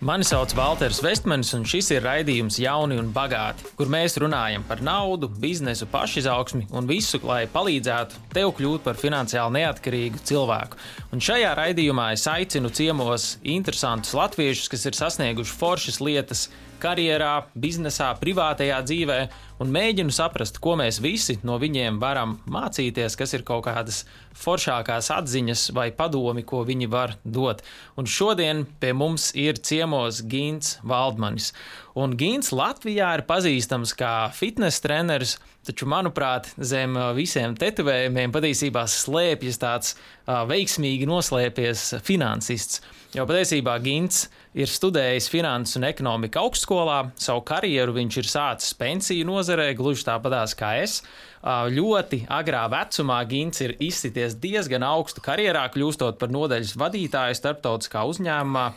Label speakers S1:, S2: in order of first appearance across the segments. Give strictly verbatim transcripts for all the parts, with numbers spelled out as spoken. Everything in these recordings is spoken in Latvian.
S1: Mani sauc Valters Vestmanis, un šis ir raidījums Jauni un bagāti, kur mēs runājam par naudu, biznesu, pašizaugsmi un visu, lai palīdzētu tev kļūt par finansiāli neatkarīgu cilvēku. Un šajā raidījumā es aicinu ciemos interesantus latviešus, kas ir sasnieguši foršas lietas karjerā, biznesā, privātajā dzīvē, un mēģinu saprast, ko mēs visi no viņiem varam mācīties, kas ir kaut kādas foršākās atziņas vai padomi, ko viņi var dot. Un šodien pie mums ir ciemos Gints Valdmanis. Un Gints Latvijā ir pazīstams kā fitness treneris, taču, manuprāt, zem visiem tetovējumiem patiesībā slēpjas tāds uh, veiksmīgi noslēpies finansists. Jo patiesībā Gints ir studējis finanses un ekonomiku augstskolā, savu karjeru viņš ir sācis pensiju nozarē, gluži tāpatās kā es. Ļoti agrā vecumā Gints ir izsities diezgan augstu karjerā, kļūstot par nodaļas vadītāju starptautiskā uzņēmumā,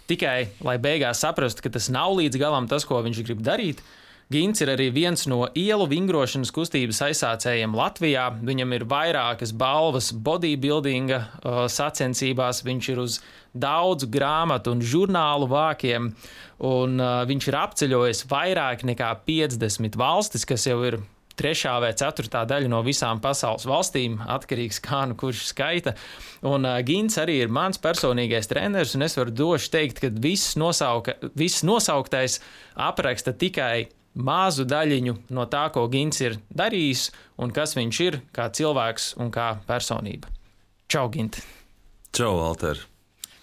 S1: tikai lai beigās saprastu, ka tas nav līdz galam tas, ko viņš grib darīt. Gints ir arī viens no ielu vingrošanas kustības aizsācējiem Latvijā. Viņam ir vairākas balvas bodybuildinga uh, sacensībās, viņš ir uz daudzu grāmatu un žurnālu vākiem, un uh, viņš ir apceļojis vairāk nekā piecdesmit valstis, kas jau ir trešā vai ceturtā daļa no visām pasaules valstīm, atkarīgs kā nu kurš skaita. Un uh, Gints arī ir mans personīgais treneris, un es varu droši teikt, ka viss, nosauka, viss nosauktais apraksta tikai mazu daļiņu no tā, ko Gints ir darījis un kas viņš ir kā cilvēks un kā personība. Čau, Gint!
S2: Čau, Valter!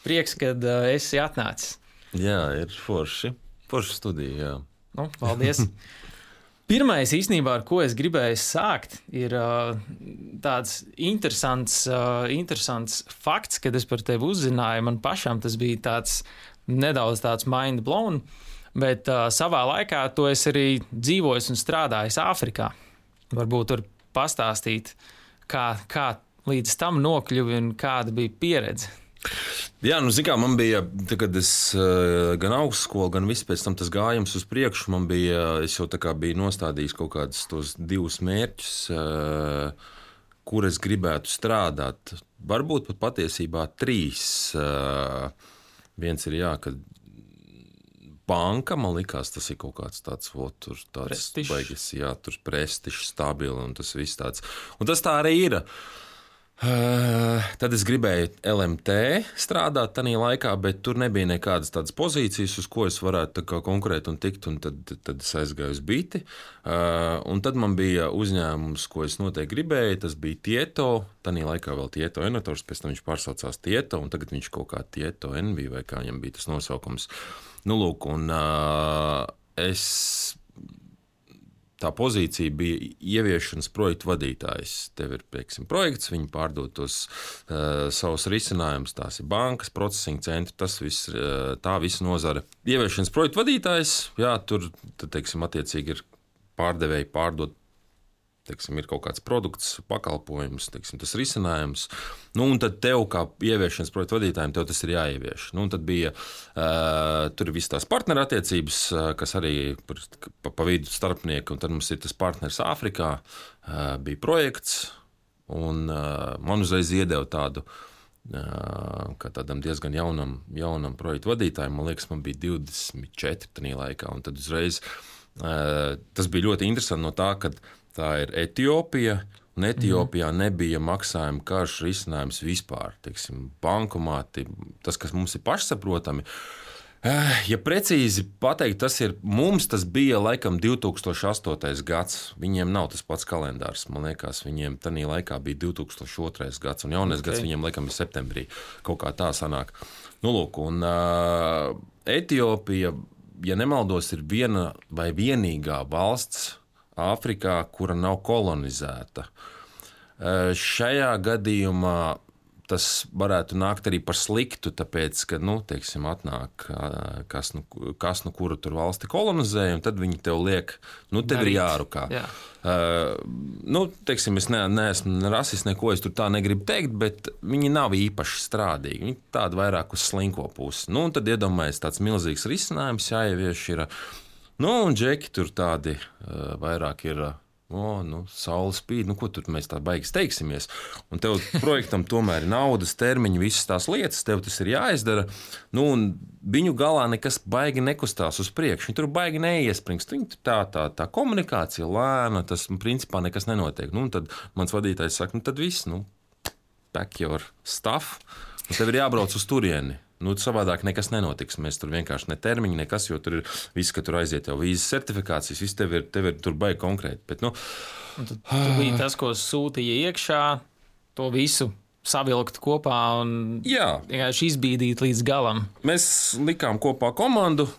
S1: Prieks, kad uh, esi atnācis.
S2: Jā, ir forši. Forši studija, jā.
S1: Nu, paldies! Pirmais īstenībā, ar ko es gribēju sākt, ir uh, tāds interesants, uh, interesants fakts, kad es par tevi uzzināju. Man pašam tas bija tāds nedaudz tāds mind blown. Bet uh, savā laikā to es arī dzīvoju un strādāju Āfrikā. Varbūt tur pastāstīt, kā, kā līdz tam nokļuvi un kāda bija pieredze.
S2: Jā, nu, zin kā, man bija, tā, kad es uh, gan augstskolu, gan viss pēc tam tas gājums uz priekšu, man bija, es jau tā kā biju nostādījis kaut kādus tos divus mērķus, uh, kur es gribētu strādāt. Varbūt pat patiesībā trīs. Uh, viens ir, jā, kad banka, man likās, tas ir kaut kāds tāds, o, tur tāds baigas, jā, tur prestižs, stabili un tas viss tāds. Un tas tā arī ir. Uh, tad es gribēju L M T strādāt tajā laikā, bet tur nebija nekādas tādas pozīcijas, uz ko es varētu konkurēt un tikt, un tad, tad es aizgāju uz Biti. Uh, un tad man bija uzņēmums, ko es noteikti gribēju, tas bija Tieto, tajā laikā vēl Tieto Enotors, pēc tam viņš pārsaucās Tieto, un tagad viņš kaut kā Tieto Envy, vai kā viņam bija tas nosaukums. Nu, lūk, un uh, es, tā pozīcija bija ieviešanas projektu vadītājs. Tev ir, pieksim, projekts, viņi pārdod tos uh, savus risinājumus, tās ir bankas, procesing centri, tas viss, uh, tā visa nozare. Ieviešanas projektu vadītājs, jā, tur, tad, teiksim, attiecīgi ir pārdevēji pārdot, teiksim, ir kaut kāds produkts, pakalpojums, teiksim, tas risinājums. Nu, un tad tev, kā ieviešanas projektu vadītājiem, tev tas ir jāievieš. Nu, un tad bija, uh, tur ir visas tās partnerattiecības, uh, kas arī pa, pa vidu starpnieki, un tad mums ir tas partners Āfrikā, uh, bija projekts, un uh, man uzreiz iedeva tādu, uh, kā tādam diezgan jaunam, jaunam projektu vadītājiem, man liekas, man bija divdesmit četri tajā laikā, un tad uzreiz uh, tas bija ļoti interesanti no tā, ka tā ir Etiopija, un Etiopijā nebija maksājuma karš risinājums vispār. Teiksim, bankomāti, tas, kas mums ir pašsaprotami. Ja precīzi pateikt, tas ir mums, tas bija laikam divi tūkstoši astotais gads. Viņiem nav tas pats kalendārs. Man liekas, viņiem tajā laikā bija divi tūkstoši otrais gads, un jaunais okay. gads viņiem laikam ir septembrī. Kaut kā tā sanāk. Nu, lūk, un uh, Etiopija, ja nemaldos, ir viena vai vienīgā valsts Āfrikā, kura nav kolonizēta. Šajā gadījumā tas varētu nākt arī par sliktu, tāpēc, ka, nu, teiksim, atnāk, kas nu, kas nu kuru tur valsti kolonizē, un tad viņi tev liek, nu, tev ir jārukā. Jā. Uh, nu, teiksim, es ne, neesmu rasists, neko es tur tā negribu teikt, bet viņi nav īpaši strādīgi. Viņi tādi vairāk uz slinko pusi. Nu, un tad iedomājies tāds milzīgs risinājums jāievieš ir. Nu, un džeki tur tādi uh, vairāk ir uh, O, nu, saule spīd, nu, ko tur mēs tā baigi steigsimies. Un tev projektam tomēr ir naudas, termiņi, visas tās lietas, tev tas ir jāizdara. Nu, un viņu galā nekas baigi nekustās uz priekšu. Viņi tur baigi neiespringst. Viņi tā, tā, tā komunikācija lēna, tas principā nekas nenotiek. Nu, un tad mans vadītājs saka, nu, tad viss, nu, pack your stuff. Un tev ir jābrauc uz turieni. Nu, savādāk nekas nenotiks. Mēs tur vienkārši ne termiņi, nekas, jo tur ir viss, ka tur aiziet jau vīzas certifikācijas, viss tev ir, tev ir tur baigi konkrēti. Bet, nu,
S1: tu, tu biji tas, ko sūtīja iekšā, to visu savilkt kopā un vienkārši izbīdīt līdz galam.
S2: Mēs likām kopā komandu,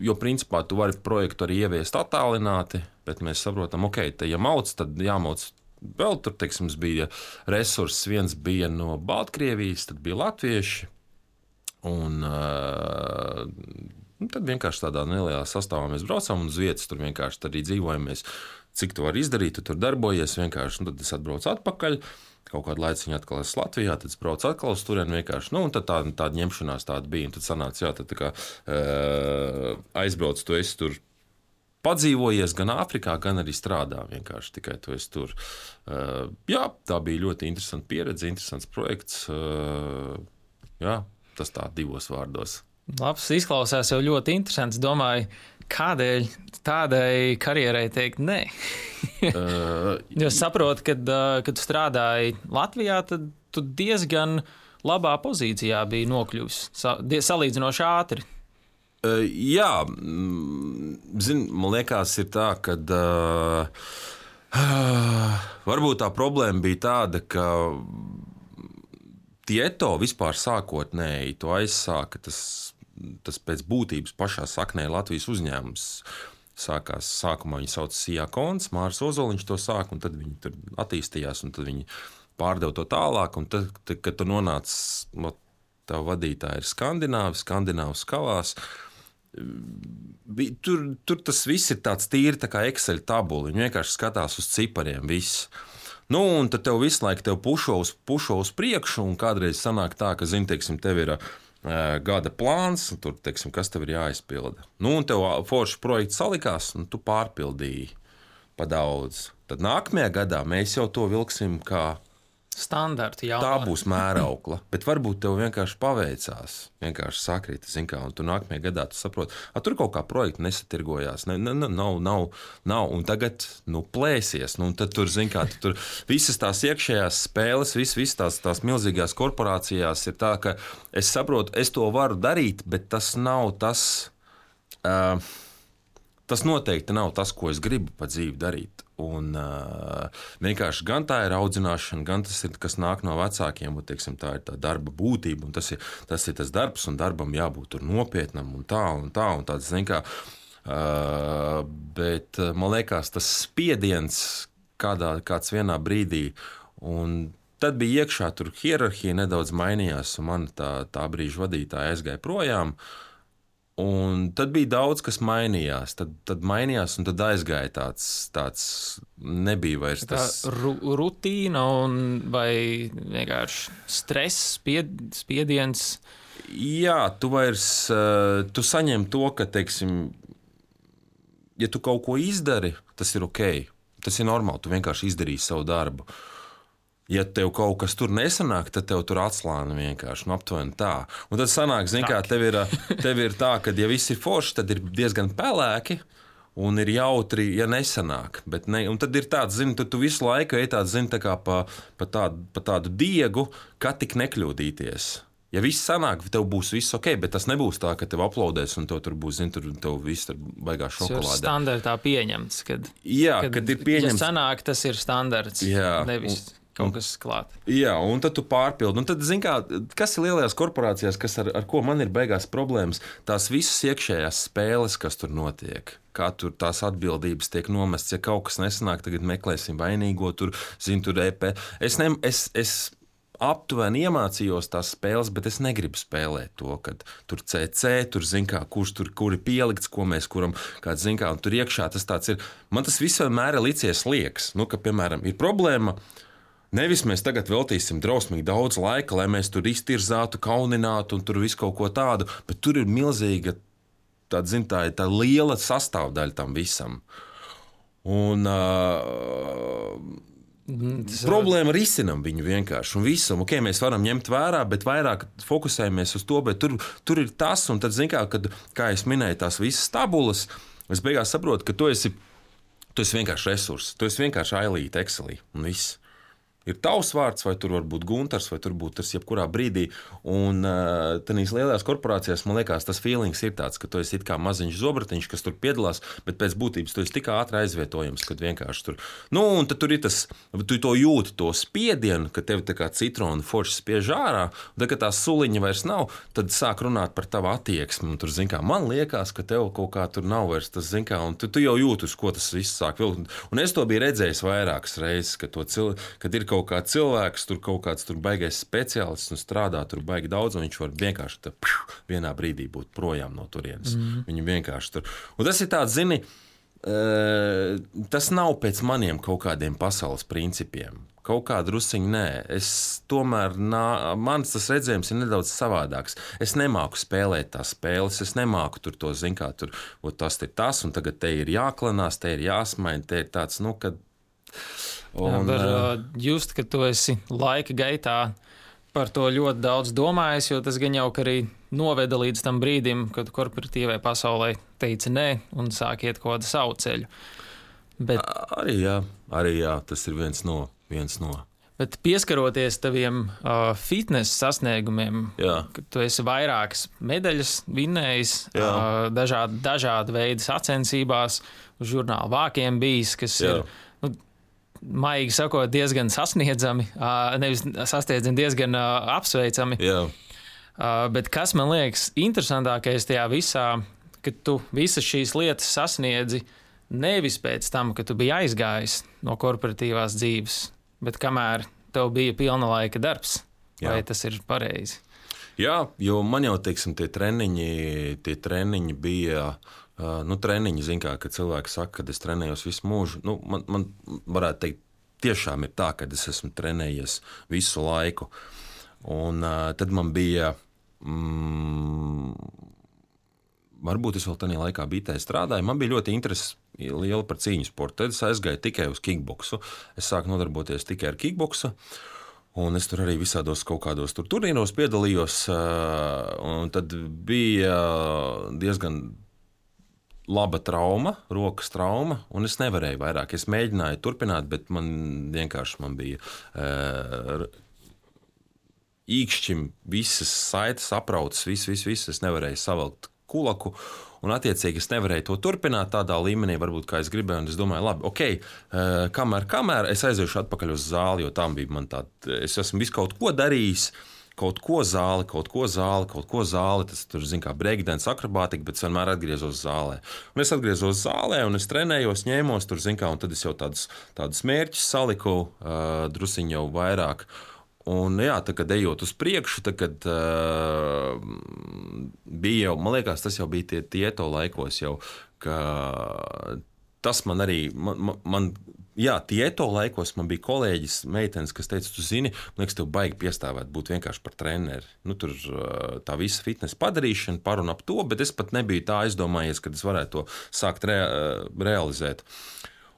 S2: jo principā tu vari projektu arī ieviest attālināti, bet mēs saprotam, ok, te ja mauc, tad jāmauc. Vēl tur, teiksim, bija resurss, viens bija no Baltkrievijas, tad bija latvieši. Un uh, tad vienkārši tādā nelielā sastāvā mēs braucām, un uz vietas tur vienkārši arī dzīvojamies. Cik tu vari izdarīt, tu tur darbojies vienkārši. Tad es atbraucu atpakaļ, kaut kādu laiciņu atkal esmu Latvijā, tad es braucu atkal uz turieni vienkārši. Nu, un tad tā, tāda ņemšanās tāda bija. Un tad sanāca, jā, tad tā kā uh, aizbrauc, tu esi tur padzīvojies gan Āfrikā, gan arī strādā vienkārši tikai tu esi tur. Uh, jā, tā bija ļoti interesanta pieredze, interesants projekts. Uh, jā, tas tā divos vārdos.
S1: Labs, izklausās jau ļoti interesants. Domāju, kādēļ tādai karjerai teikt nē? uh, jo saprotu, kad, kad tu strādāji Latvijā, tad tu diezgan labā pozīcijā biji nokļuvis, salīdzinoši ātri.
S2: Uh, jā, zin, man liekas, ir tā, ka uh, uh, varbūt tā problēma bija tāda, ka Tieto vispār sākotnēji to aizsāka, tas, tas pēc būtības pašā saknē Latvijas uzņēmums. Sākās, sākumā viņi sauc Sijā Kons, Māris Ozoliņš to sāk, un tad viņi tur attīstījās, un tad viņi pārdeva to tālāk, un tad, tad kad tu nonāc, no, tavu vadītāji ir skandināvi, skandināvs kavās, tur, tur tas viss ir tāds tīri tā kā Excel tabula, viņi vienkārši skatās uz cipariem viss. Nu, un tad tev visu laiku tev pušo uz, pušo uz priekšu, un kādreiz sanāk tā, ka, zini, teiksim, tev ir uh, gada plāns, un tur, teiksim, kas tev ir jāizpilda. Nu, un tev forši projekts salikās, un tu pārpildīji pa daudz. Tad nākamajā gadā mēs jau to vilksim kā
S1: standarti jau.
S2: Tā būs mēraukla, bet varbūt tev vienkārši paveicās, vienkārši sakrita, zin kā, un tu nākamajā gadā tu saproti, a, tur kaut kā projekti nesatirgojās, ne, ne, nav, nav, nav, un tagad, nu, plēsies, nu, un tad tur, zin kā, tu tur visas tās iekšējās spēles, visas, visas tās, tās milzīgās korporācijās ir tā, ka es saprotu, es to varu darīt, bet tas nav tas, uh, tas noteikti nav tas, ko es gribu pa dzīvi darīt. Un, uh, vienkārši gan tā ir audzināšana, gan tas ir, kas nāk no vecākiem, un, teiksim, tā ir tā darba būtība, un tas ir tas, ir tas darbs, un darbam jābūt tur nopietnam, un tā, un tā, un tāds, zin kā, uh, bet man liekas, tas spiediens kādā, kāds vienā brīdī, un tad bija iekšā, tur hierarhija nedaudz mainījās, un man tā, tā brīža vadītāja aizgāja projām. Un tad bija daudz, kas mainījās. Tad, tad mainījās, un tad aizgāja tāds, tāds nebija vairs tas.
S1: Tā ru, rutīna un vai vienkārši stress, spied, spiediens.
S2: Jā, tu vairs, tu saņem to, ka, teiksim, ja tu kaut ko izdari, tas ir ok. Tas ir normāli, tu vienkārši izdarīsi savu darbu. Ja tev kaut kas tur nesanāk, tad tev tur atslāna vienkārši, nu, aptuveni tā. Un tad sanāk, zin kā, tev ir, tev ir tā, ka ja viss ir forši, tad ir diezgan pelēki un ir jautri, ja nesanāk. Bet ne, un tad ir tāds, zini, tu, tu visu laiku ej tāds, zini, tā kā pa, pa, tādu, pa tādu diegu, kā tik nekļūdīties. Ja viss sanāk, tev būs viss ok, bet tas nebūs tā, ka tev aplaudēs un tev tur būs, zini, tur tev viss tur baigā šokolādē.
S1: Tas ir standartā pieņemts, kad,
S2: jā,
S1: kad,
S2: kad ir pieņemts.
S1: Ja sanāk, tas ir standarts,
S2: jā,
S1: nevis
S2: un,
S1: kaut kas klāt.
S2: Jā, un tad tu pārpildi. Un tad, zin kā, kas ir lielajās korporācijās, kas ar, ar ko man ir beigās problēmas, tās visas iekšējās spēles, kas tur notiek. Kā tur tās atbildības tiek nomestas, ja kaut kas nesanāk, tagad meklēsim vainīgo, tur, zin, tur E P. Es, ne, es, es aptuveni iemācījos tās spēles, bet es negribu spēlēt to, kad tur C C, tur, zin kā, kurš tur, kur ir pielikts, ko mēs kuram, kāds, zin kā, un tur iekšā tas tāds ir. Man tas viss vienmēr ir licies liekas, nu, ka, piemēram, ir problēma. Nevis mēs tagad veltīsim drausmīgi daudz laika, lai mēs tur iztirzātu, kauninātu un tur visu kaut ko tādu, bet tur ir milzīga tāda, zin, tā, tā liela sastāvdaļa tam visam. Un, uh, Tas problēma risinām viņu vienkārši. Un visam, ok, mēs varam ņemt vērā, bet vairāk fokusējamies uz to, bet tur, tur ir tas, un tad, zin kā, kad, kā es minēju, tās visas tabulas, es beigās saprotu, ka tu esi, tu esi vienkārši resurss, tu esi vienkārši ailīte Excelī, un viss. Ir tavs vārds, vai tur var būt Guntars, vai tur būtu tas jebkurā brīdī. Un uh, tādās lielās korporācijās, man liekas, tas feelings ir tāds, ka tu esi it kā maziņš zobratiņš, kas tur piedalās, bet pēc būtības tu esi tik ātri aizvietojams, kad vienkārši tur. Nu, un tad tur ir tas, tu to jūti, to spiedienu, ka tev tā kā citrona forši spiež ārā, un tad, kad tā suliņa vairs nav, tad sāk runāt par tavu attieksmi. Un tur, zin kā, man liekas, ka tev kaut kā tur nav vairs tas, zin kā, un tu, tu jau jūti, uz ko tas viss sāk vilkt. Un es to biju redzējis vairākas reizes, ka to cil... kad ir kaut kāds cilvēks, tur kaut kāds tur baigais speciālists un strādā tur baigi daudz, un viņš var vienkārši tā, pšu, vienā brīdī būt projām no turienes. Mm. Viņu vienkārši tur. Un tas ir tāds, zini, uh, tas nav pēc maniem kaut kādiem pasaules principiem. Kaut kā drusciņi nē. Es tomēr, nā, mans tas redzējums ir nedaudz savādāks. Es nemāku spēlēt tās spēles, es nemāku tur to, zin kā, tur, o, tas ir tas, un tagad te ir jāklanās, te ir jāsmaina, te ir tāds, nu, kad
S1: Un, Jā, var uh, just, ka tu esi laika gaitā par to ļoti daudz domājis, jo tas gan jau arī noveda līdz tam brīdim, kad korporatīvai pasaulē teica nē un sāk iet kaut kādu savu ceļu. Bet,
S2: arī, jā, arī jā, tas ir viens no. Viens no.
S1: Bet pieskaroties taviem uh, fitness sasniegumiem, jā. Kad tu esi vairākas medaļas vinnējis, uh, dažādi, dažādi veidi sacensībās, uz žurnāla vākiem bijis, kas jā. ir... Nu, maigi sakot, diezgan sasniedzami, nevis sasniedzami, diezgan apsveicami. Jā. Bet kas man liekas interesantākais tajā visā, ka tu visas šīs lietas sasniedzi nevis pēc tam, ka tu biji aizgājis no korporatīvās dzīves, bet kamēr tev bija pilna laika darbs. Jā. Vai tas ir pareizi?
S2: Jā, jo man jau, teiksim, tie treniņi, tie treniņi bija... Uh, nu, treniņi, zin kā, kad cilvēki saka, ka es trenējos visu mūžu. Nu, man, man varētu teikt, tiešām ir tā, ka es esmu trenējies visu laiku. Un uh, tad man bija, mm, varbūt es vēl tajā laikā bitē strādāju, man bija ļoti interesi liela par cīņu sportu. Tad es aizgāju tikai uz kickboksu. Es sāku nodarboties tikai ar kickboksu. Un es tur arī visādos kaut kādos tur turnīros piedalījos. Uh, un tad bija diezgan laba trauma, rokas trauma, un es nevarēju vairāk. Es mēģināju turpināt, bet man vienkārši man bija uh, īkšķim visas saites aprautas, viss, viss, viss. Es nevarēju savilkt kulaku, un attiecīgi es nevarēju to turpināt tādā līmenī, varbūt kā es gribēju, un es domāju, labi, ok, uh, kamēr, kamēr es aiziešu atpakaļ uz zāli, jo tam bija man tā, es esmu visu kaut ko darījis, kaut ko zāli, kaut ko zāli, kaut ko zāli. Tas tur, zin kā, breakdance, akrobātika, bet es vienmēr atgriezos zālē. Un es atgriezos zālē, un es trenējos, ņēmos tur, zin kā, un tad es jau tādus, tādus mērķus saliku, uh, drusiņu jau vairāk. Un jā, tad, kad ejot uz priekšu, tad, kad uh, bija jau, man liekas, tas jau bija tie tieto laikos jau, ka tas man arī, man, man, man jā, tieto laikos man bija kolēģis, meitenes, kas teica, tu zini, man liekas, tev baigi piestāvēt būt vienkārši par treneri. Nu, tur tā visa fitness padarīšana, par un ap to, bet es pat nebiju tā aizdomājies, kad es varētu to sākt re, realizēt.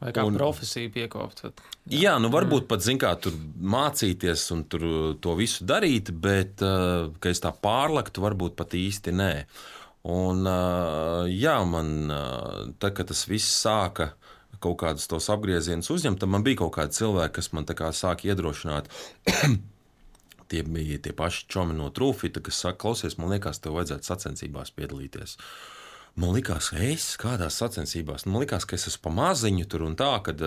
S1: Vai kā un, profesiju piekopt. Jā.
S2: jā, nu varbūt pat, zin kā, tur mācīties un tur to visu darīt, bet, ka es tā pārlektu, varbūt pat īsti nē. Un, jā, man, tā, kad tas viss sāka kaut kādus tos apgriezienus uzņemt, tad man bija kaut kādi cilvēki, kas man tā kā sāka iedrošināt. Tie bija tie paši čomi no Trūfita, kas saka, klausies, man liekas, tev vajadzētu sacensībās piedalīties. Man likās, ka es kādās sacensībās, man likās, ka es esmu pa maziņu tur un tā, kad,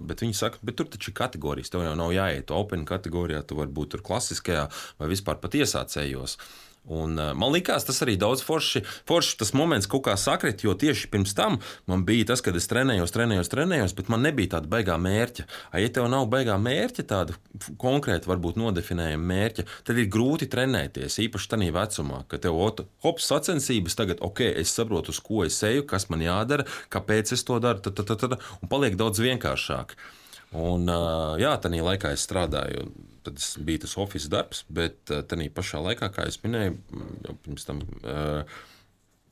S2: bet viņi saka, bet tur taču ir kategorijas, tev jau nav jāiet open kategorijā, tu vari būt tur klasiskajā vai vispār pat iesācējos. Un, uh, man likās, tas arī daudz forši, forši tas moments kaut kā sakrit, jo tieši pirms tam man bija tas, kad es trenējos, trenējos, trenējos, bet man nebija tāda baigā mērķa. A, ja tev nav baigā mērķa, tāda konkrēti varbūt nodefinējama mērķa, tad ir grūti trenēties, īpaši tādā vecumā, ka tev hops sacensības tagad, ok, es saprotu, uz ko es eju, kas man jādara, kāpēc es to daru, tad, tad, tad, tad, un paliek daudz vienkāršāk. Un, uh, jā, tādā laikā es strādāju. Tad bija tas oficiāls darbs, bet tajā pašā laikā, kā es minēju, jau pirms tam,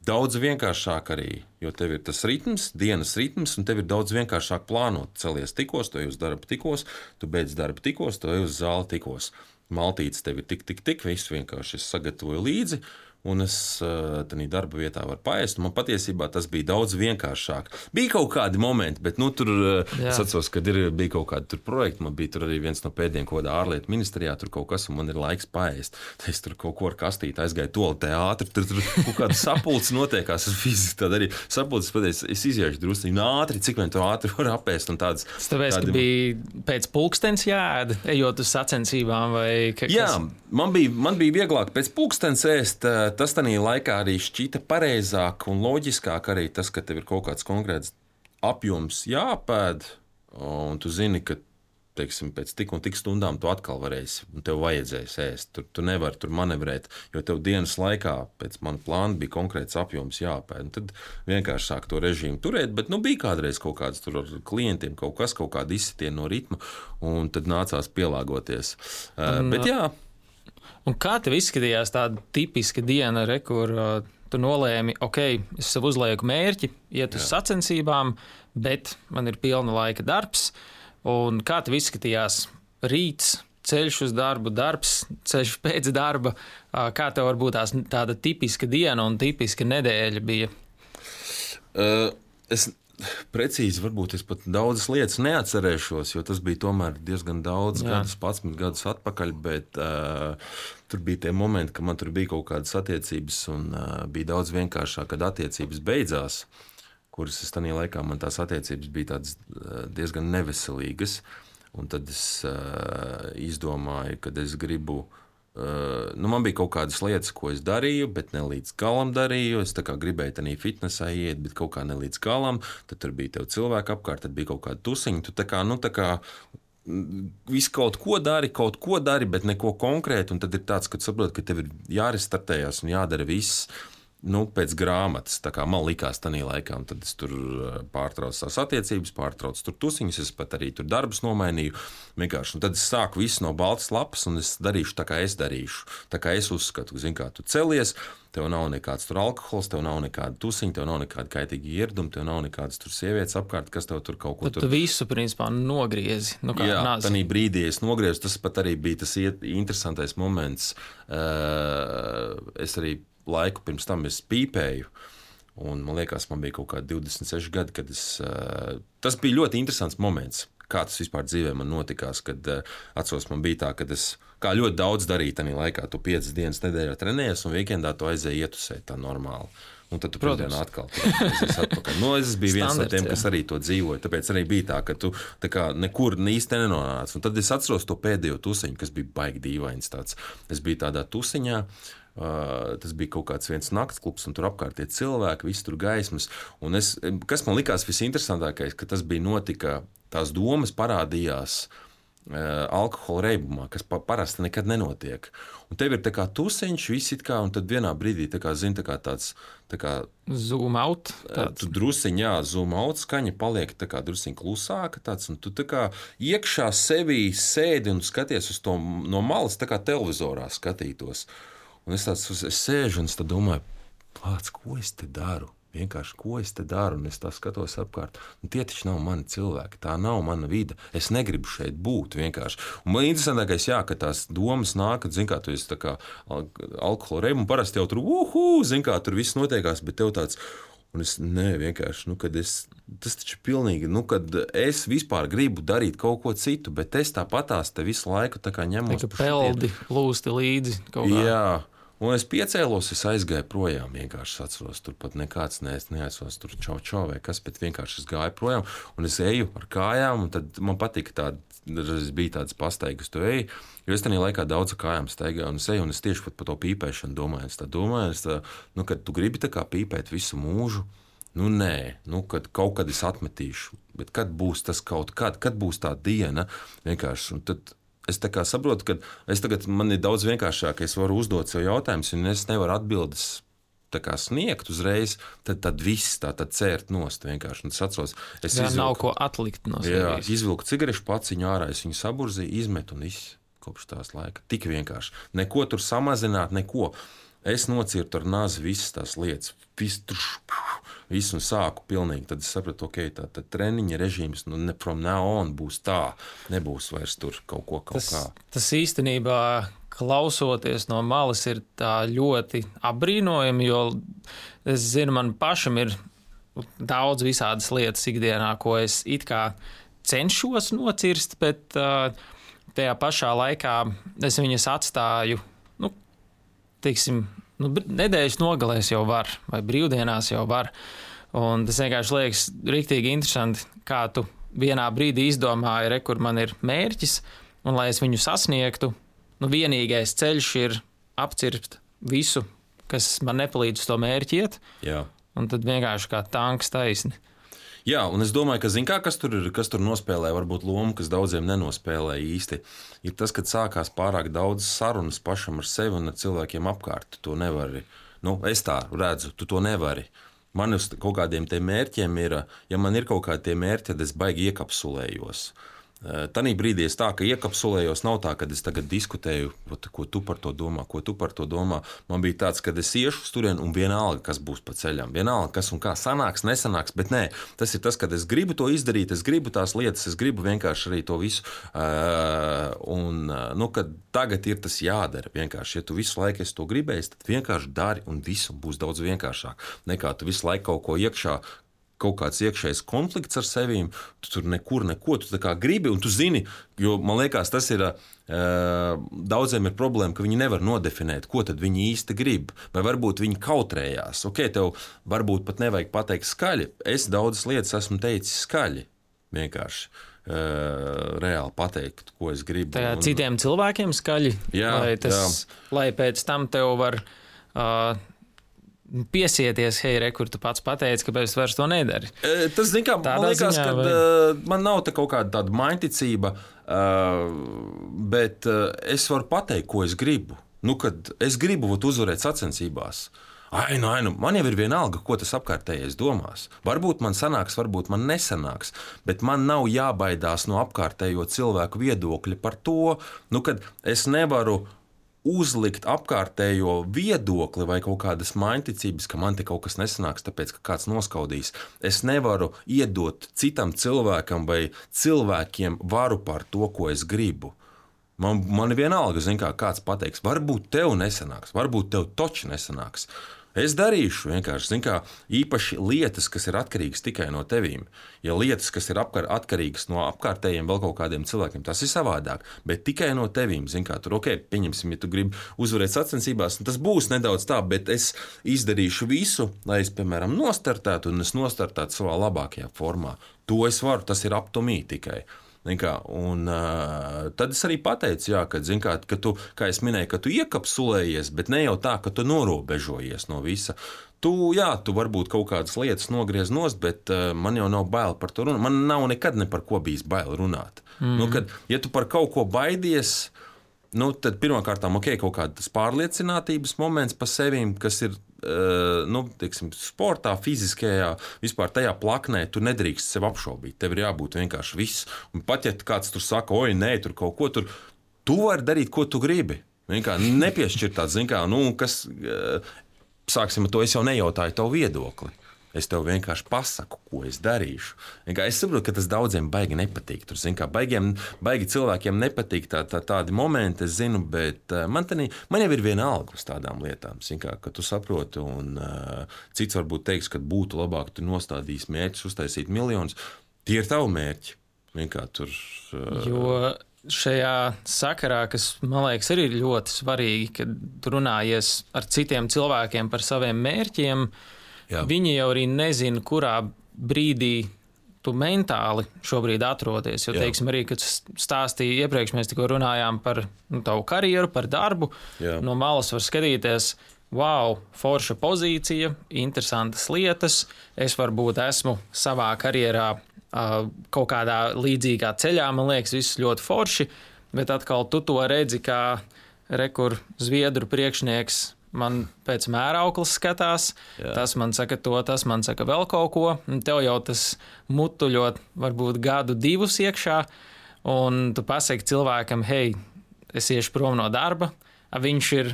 S2: daudz vienkāršāk arī, jo tev ir tas ritms, dienas ritms, un tev ir daudz vienkāršāk plānot. Celies tikos, tu ej uz darbu tikos, tu beidz darbu tikos, tu ej uz zāli tikos. Maltītes tev ir tik, tik, tik, visu vienkārši es sagatavoju līdzi, un es tādā darba vietā varu paēst. Man patiesībā tas bija daudz vienkāršāk. Bija kaut kādi momenti, bet nu, tur Jā. es atceros, kad ir, bija kaut kādi projekti. Man bija tur arī viens no pēdējiem kaut kādā ārlietu ministrijā, tur kaut kas, un man ir laiks paēst. Es tur kaut ko ar kastīti aizgāju toaletē ātri, tur, tur kaut kāda sapulce notiekās. Es fiziski tādu arī sapulces pateicu, es iziešu drusku ātri, cik vien to ātri var apēst. Tādas,
S1: Tāpēc, tādi... ka bija pēc pulkstens jāēd, ejot uz sacensībām vai kas?
S2: Jā, man bija, man bija vieglāk pēc pulkstens ēst. Tas tādā laikā arī šķita pareizāk un loģiskāk arī tas, ka tev ir kaut kāds konkrēts apjoms jāpēd, un tu zini, ka teiksim, pēc tik un tik stundām tu atkal varēsi, un tev vajadzēs ēst. Tur tu nevari tur manevrēt, jo tev dienas laikā pēc mana plāna bija konkrēts apjoms jāpēd. Un tad vienkārši sāk to režīmu turēt, bet nu, bija kādreiz kaut kāds tur ar klientiem, kaut kas, kaut kāda izsitiena no ritma, un tad nācās pielāgoties. Uh, bet jā.
S1: Un kā tev izskatījās tāda tipiska diena, re, kur uh, tu nolēmi, ok, es sev uzlieku mērķi, iet uz Jā. sacensībām, bet man ir pilna laika darbs. Un kā tev izskatījās rīts, ceļš uz darbu, darbs, ceļš pēc darba? Uh, kā tev varbūt tās tāda tipiska diena un tipiska nedēļa bija?
S2: Uh, es... Precīzi, varbūt es pat daudzas lietas neatcerēšos, jo tas bija tomēr diezgan daudz Jā. gadus, padsmit gadus atpakaļ, bet uh, tur bija tie momenti, ka man tur bija kaut kādas attiecības un uh, bija daudz vienkāršāk, kad attiecības beidzās, kuras es tajā laikā, man tās attiecības bija tādas uh, diezgan neveselīgas, un tad es uh, izdomāju, kad es gribu Uh, nu, man bija kaut kādas lietas, ko es darīju, bet ne līdz galam darīju. Es tā kā gribēju tādā fitnesā iet, bet kaut kā ne līdz galam. Tad tur bija tev cilvēki apkārt, tad bija kaut kāda tusiņa. Tu tā kā, nu, tā kā visu kaut ko dari, kaut ko dari, bet neko konkrētu. Un tad ir tāds, ka tu saproti, ka tev ir jārestartējās un jādara viss. Nu, pēc grāmatas, tā kā man likās tajā laikā, un tad es tur pārtraucu savas attiecības, pārtraucu tur tusiņus, es pat arī tur darbus nomainīju. Vienkārši, un tad es sāku visu no baltas lapas, un es darīšu tā, kā es darīšu. Tā kā es uzskatu, zin, kā tu celies, tev nav nekāds tur alkohols, tev nav nekāda tusiņa, tev nav nekāda kaitīga ieraduma, tev nav nekādas tur sievietes apkārt, kas tev tur kaut ko
S1: tad
S2: tur...
S1: Tu visu, principā, nogriezi. Nu, kā
S2: Jā,
S1: nāzi.
S2: Tanī brīdī es nogriezu, tas pat arī bija tas interesantais moments. Uh, es arī laiku pirms tam es pīpēju, un man liekas, man bija kaut kādi divdesmit seši gadi, kad es... Uh, tas bija ļoti interesants moments, kā tas vispār dzīvē man notikās, kad uh, atceros, man bija tā, kad es kā ļoti daudz darīju tajā laikā, tu piecas dienas nedēļā trenējies, un weekendā tu aizēji ietusēt tā normāli. Un tad tu pirmdienā atkal aizies atpakaļ. Nu, es biju viens no tiem, kas arī to dzīvoja, tāpēc arī bija tā, ka tu tā kā nekur īsti nenonāc. Un tad es atceros to pēdējo tusiņu, kas bija baigi dīvains tāds. Es biju tādā tusiņā, Uh, tas bija kaut kāds viens naktsklubs, un tur apkārt tie cilvēki, visi tur gaismas. Un es, kas man likās visinteresantākais, ka tas bija notika, tās domas parādījās uh, alkohola reibumā, kas pa, parasti nekad nenotiek. Un tev ir tā kā tusiņš, viss it kā, un tad vienā brīdī tā kā, zin, tā kā tāds... Tā kā,
S1: zoom out. Tāds.
S2: Tu drusiņ, jā, zoom out, skaņa paliek tā kā drusiņ klusāka tāds, un tu tā kā iekšā sevī sēdi un skaties uz to no malas, tā kā televizorā skatītos. Un es tāds es sēžu un es tā domāju, plāc, ko es te daru? Vienkārši, ko es te daru? Un es tā skatos apkārt. Un tie taču nav mani cilvēki, tā nav mana vida. Es negribu šeit būt vienkārši. Un man interesantākais, jā, ka tās domas nāk, zin kā, tu esi tā kā alkohola reiba, un parasti jau tur, uhu, zin kā, tur viss notiekās, bet tev tāds... Un es, nē, vienkārši, nu, kad es, tas taču pilnīgi, nu, kad es vispār gribu darīt kaut ko citu, bet es tāpatās te visu laiku tā kā ņemos.
S1: Tā kā peldi lūsti līdzi kaut kā.
S2: Jā, un es piecēlos, es aizgāju projām, vienkārši atceros, tur pat nekāds nees, neesos tur čau čau vai kas, bet vienkārši es gāju projām, un es eju ar kājām, un tad man patika tāda, es bija tādas pastaigas, tu eji, jo es tajā laikā daudz kājām staigāju, un es eju, un es tieši pat par to pīpēšanu domāju, es tā domāju, es tā, nu, kad tu gribi tā kā pīpēt visu mūžu, nu nē, nu, kad kaut kad es atmetīšu, bet kad būs tas kaut kad, kad būs tā diena, vienkārši, un tad es tā kā saprotu, ka es tagad, man ir daudz vienkāršāk, es varu uzdot sev jautājumus, un es nevaru atbildes tā kā sniegt uzreiz, tad, tad viss tā tad cērt nost vienkārši. Un es atceros, es
S1: Jā,
S2: izvilku,
S1: nav ko atlikt no sevis.
S2: Jā, izvilku cigarešu paciņu ārā, es viņu saburzīju, izmetu un viss kopš tās laika. Tik vienkārši. Neko tur samazināt, neko. Es nocirtu ar nazi visas tās lietas, visu, visu un sāku pilnīgi. Tad es sapratu, ok, tā tad treniņa režīms nu, ne from now on būs tā, nebūs vairs tur kaut ko kaut
S1: tas,
S2: kā.
S1: Tas īstenībā, klausoties no malas, ir tā ļoti apbrīnojami, jo es zinu, man pašam ir daudz visādas lietas ikdienā, ko es it kā cenšos nocirst, bet uh, tajā pašā laikā es viņas atstāju, nu, teiksim, nu, nedēļas nogalēs jau var, vai brīvdienās jau var. Un tas vienkārši liekas riktīgi interesanti, kā tu vienā brīdī izdomāji, re, kur man ir mērķis, un lai es viņu sasniegtu, nu, vienīgais ceļš ir apcirpt visu, kas man nepalīdz to mērķi iet,
S2: Jā.
S1: Un tad vienkārši kā tanks taisni.
S2: Jā, un es domāju, ka zin kā, kas tur ir, kas tur nospēlē, varbūt lomu, kas daudziem nenospēlē īsti, ir tas, kad sākās pārāk daudz sarunas pašam ar sevi un ar cilvēkiem apkārt. Tu to nevari, nu, es tā redzu, tu to nevari. Man uz kaut kādiem tiem mērķiem ir, ja man ir kaut kādi tie mērķi, tad es baigi iekapsulējos. Tanī brīdī es tā, ka iekapsulējos, nav tā, kad es tagad diskutēju, ko tu par to domā, ko tu par to domā. Man bija tāds, kad es iešu uz turieni un vienalga, kas būs pa ceļam. Vienalga, kas un kā sanāks, nesanāks, bet nē, tas ir tas, kad es gribu to izdarīt, es gribu tās lietas, es gribu vienkārši arī to visu. Uh, un, nu, kad tagad ir tas jādara vienkārši. Ja tu visu laiku esi to gribējis, tad vienkārši dari un visu būs daudz vienkāršāk. Nekā tu visu laiku kaut ko iekšā, kaut kāds iekšējs konflikts ar sevīm, tu tur nekur neko, tu tā kā gribi, un tu zini, jo man liekas, tas ir, daudziem ir problēma, ka viņi nevar nodefinēt, ko tad viņi īsti grib, vai varbūt viņi kautrējās. Ok, tev varbūt pat nevajag pateikt skaļi, es daudzas lietas esmu teicis skaļi, vienkārši. Reāli pateikt, ko es gribu.
S1: Tā
S2: un...
S1: citiem cilvēkiem skaļi,
S2: jā,
S1: lai, tas,
S2: jā.
S1: lai pēc tam tev var... Uh, piesieties, hei, re, kur tu pats pateici, kāpēc es vairs to nedari.
S2: E, tas, zin kā, man liekas, ka vai... uh, man nav tā kaut kāda tāda mainticība, uh, bet uh, es varu pateikt, ko es gribu. Nu, kad es gribu uzvarēt sacensībās. Ai, nu, ai, nu, man jau ir vienalga, ko tas apkārtējais domās. Varbūt man sanāks, varbūt man nesanāks, bet man nav jābaidās no apkārtējo cilvēku viedokļa par to, nu, kad es nevaru uzlikt apkārtējo viedokli vai kaut kādas mainticības, ka man te kaut kas nesanāks, tāpēc, ka kāds noskaudīs. Es nevaru iedot citam cilvēkam vai cilvēkiem varu par to, ko es gribu. Man, man ir vienalga, zin kā, kāds pateiks, varbūt tev nesanāks, varbūt tev toči nesanāks. Es darīšu vienkārši, zin kā, īpaši lietas, kas ir atkarīgas tikai no tevīm. Ja lietas, kas ir apkar, atkarīgas no apkārtējiem vēl kaut kādiem cilvēkiem, tas ir savādāk, bet tikai no tevīm, zin kā, tur, ok, pieņemsim, ja tu gribi uzvarēt sacensībās, tas būs nedaudz tā, bet es izdarīšu visu, lai es, piemēram, nostartētu un es nostartētu savā labākajā formā. To es varu, tas ir up to me tikai. Kā, un, uh, tad es arī pateicu, jā, ka, kā, ka tu, kā es minēju, ka tu iekapsulējies, bet ne jau tā, ka tu norobežojies no visa. Tu, jā, tu varbūt kaut kādas lietas nogriez nost, bet uh, man jau nav bail par to runāt. Man nav nekad ne par ko bijis bail runāt. Mm. Nu, kad, ja tu par kaut ko baidies, nu, tad pirmkārt, ok, kaut kādas pārliecinātības moments par sevīm, kas ir Uh, nu, teiksim, sportā, fiziskajā, vispār tajā plaknē, tu nedrīkst sev apšaubīt. Tev ir jābūt vienkārši viss. Un pat ja kāds tur saka, oi, nē, tur kaut ko tur, tu vari darīt, ko tu gribi. Vienkārši nepiešķirt tāds, zin kā, nu, kas, uh, sāksim ar to, es jau nejautāju tavu viedokli. Es tev vienkārši pasaku, ko es darīšu. Es saprotu, ka tas daudziem baigi nepatīk. Tur, zin, kā, baigiem, baigi cilvēkiem nepatīk tā, tā, tādi momenti, es zinu, bet man, tenī, man jau ir vienalga uz tādām lietām, zin, kā, ka tu saproti. Un, uh, cits varbūt teiks, ka būtu labāk, tu nostādīs mērķus, uztaisīt miljonus. Tie ir tavi mērķi. Kā, tur, uh...
S1: Jo šajā sakarā, kas man liekas arī ļoti svarīgi, kad runājies ar citiem cilvēkiem par saviem mērķiem, jā. Viņi jau arī nezina, kurā brīdī tu mentāli šobrīd atrodies. Jo, jā. Teiksim, arī, kad stāstīju iepriekš, mēs tikko runājām par nu, tavu karjeru, par darbu. Jā. No malas var skatīties, wow, forša pozīcija, interesantas lietas. Es varbūt esmu savā karjerā uh, kaut kādā līdzīgā ceļā, man liekas, viss ļoti forši, bet atkal tu to redzi, kā rekur zviedru priekšnieks man pēc mērauklas skatās, jā. Tas man saka to, tas man saka vēl kaut ko, un tev jau tas mutuļot varbūt gadu divus iekšā, un tu pasaki cilvēkam, hei, es iešu prom no darba, viņš ir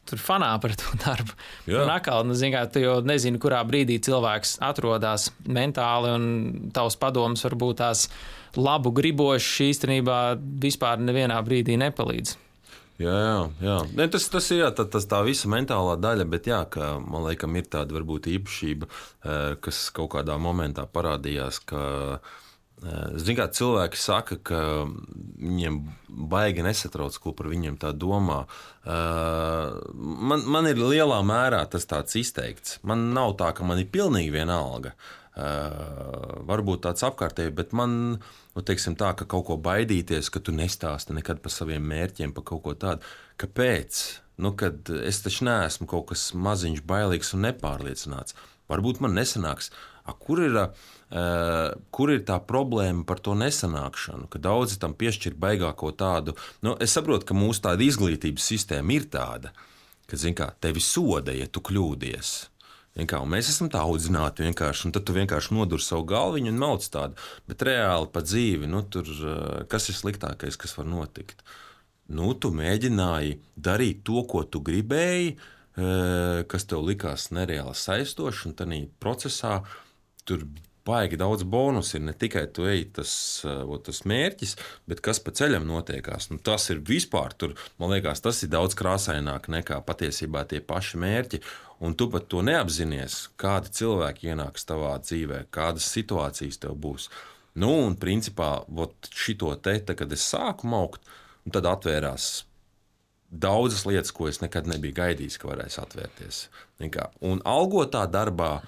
S1: tur fanā par to darbu.
S2: Jā.
S1: Un atkal, nu, zin, kā, tu jau nezini, kurā brīdī cilvēks atrodas mentāli, un tavs padoms varbūt tās labu gribošs īstenībā vispār nevienā brīdī nepalīdz.
S2: Jā, jā, jā. Ne, tas, tas ir jā, tā, tas tā visa mentālā daļa, bet jā, ka, man liekas, ir tāda varbūt īpašība, kas kaut kādā momentā parādījās, ka Zin, kā cilvēki saka, ka viņiem baigi nesatrauc, ko par viņiem tā domā. Man, man ir lielā mērā tas tāds izteikts. Man nav tā, ka man ir pilnīgi vienalga. Varbūt tāds apkārtēji, bet man, nu, teiksim tā, ka kaut ko baidīties, ka tu nestāsti nekad par saviem mērķiem, par kaut ko tādu. Kāpēc? Nu, kad es taču neesmu kaut kas maziņš, bailīgs un nepārliecināts. Varbūt man nesanāks. A, kur ir, uh, kur ir tā problēma par to nesanākšanu? Ka daudzi tam piešķir baigāko tādu. Nu, es saprotu, ka mūsu tāda izglītības sistēma ir tāda, ka, zin kā, tevi soda, ja tu kļūdies. Kā, mēs esam tā audzināti vienkārši, un tad tu vienkārši nodur savu galviņu un mauc tādu. Bet reāli pa dzīvi, nu, tur, kas ir sliktākais, kas var notikt? Nu, tu mēģināji darīt to, ko tu gribēji, kas tev likās nereāli saistoši, un tādā procesā tur baigi daudz bonusu ir. Ne tikai tu ej tas, tas mērķis, bet kas pa ceļam notiekās. Nu, tas ir vispār, tur, man liekas, tas ir daudz krāsaināk nekā patiesībā tie paši mērķi. Un tu pat to neapzinies, kādi cilvēki ienāks tavā dzīvē, kādas situācijas tev būs. Nu, un principā, vot šito te, tā, kad es sāku maukt, tad atvērās daudzas lietas, ko es nekad nebiju gaidījis, ka varēs atvērties. Un algotā darbā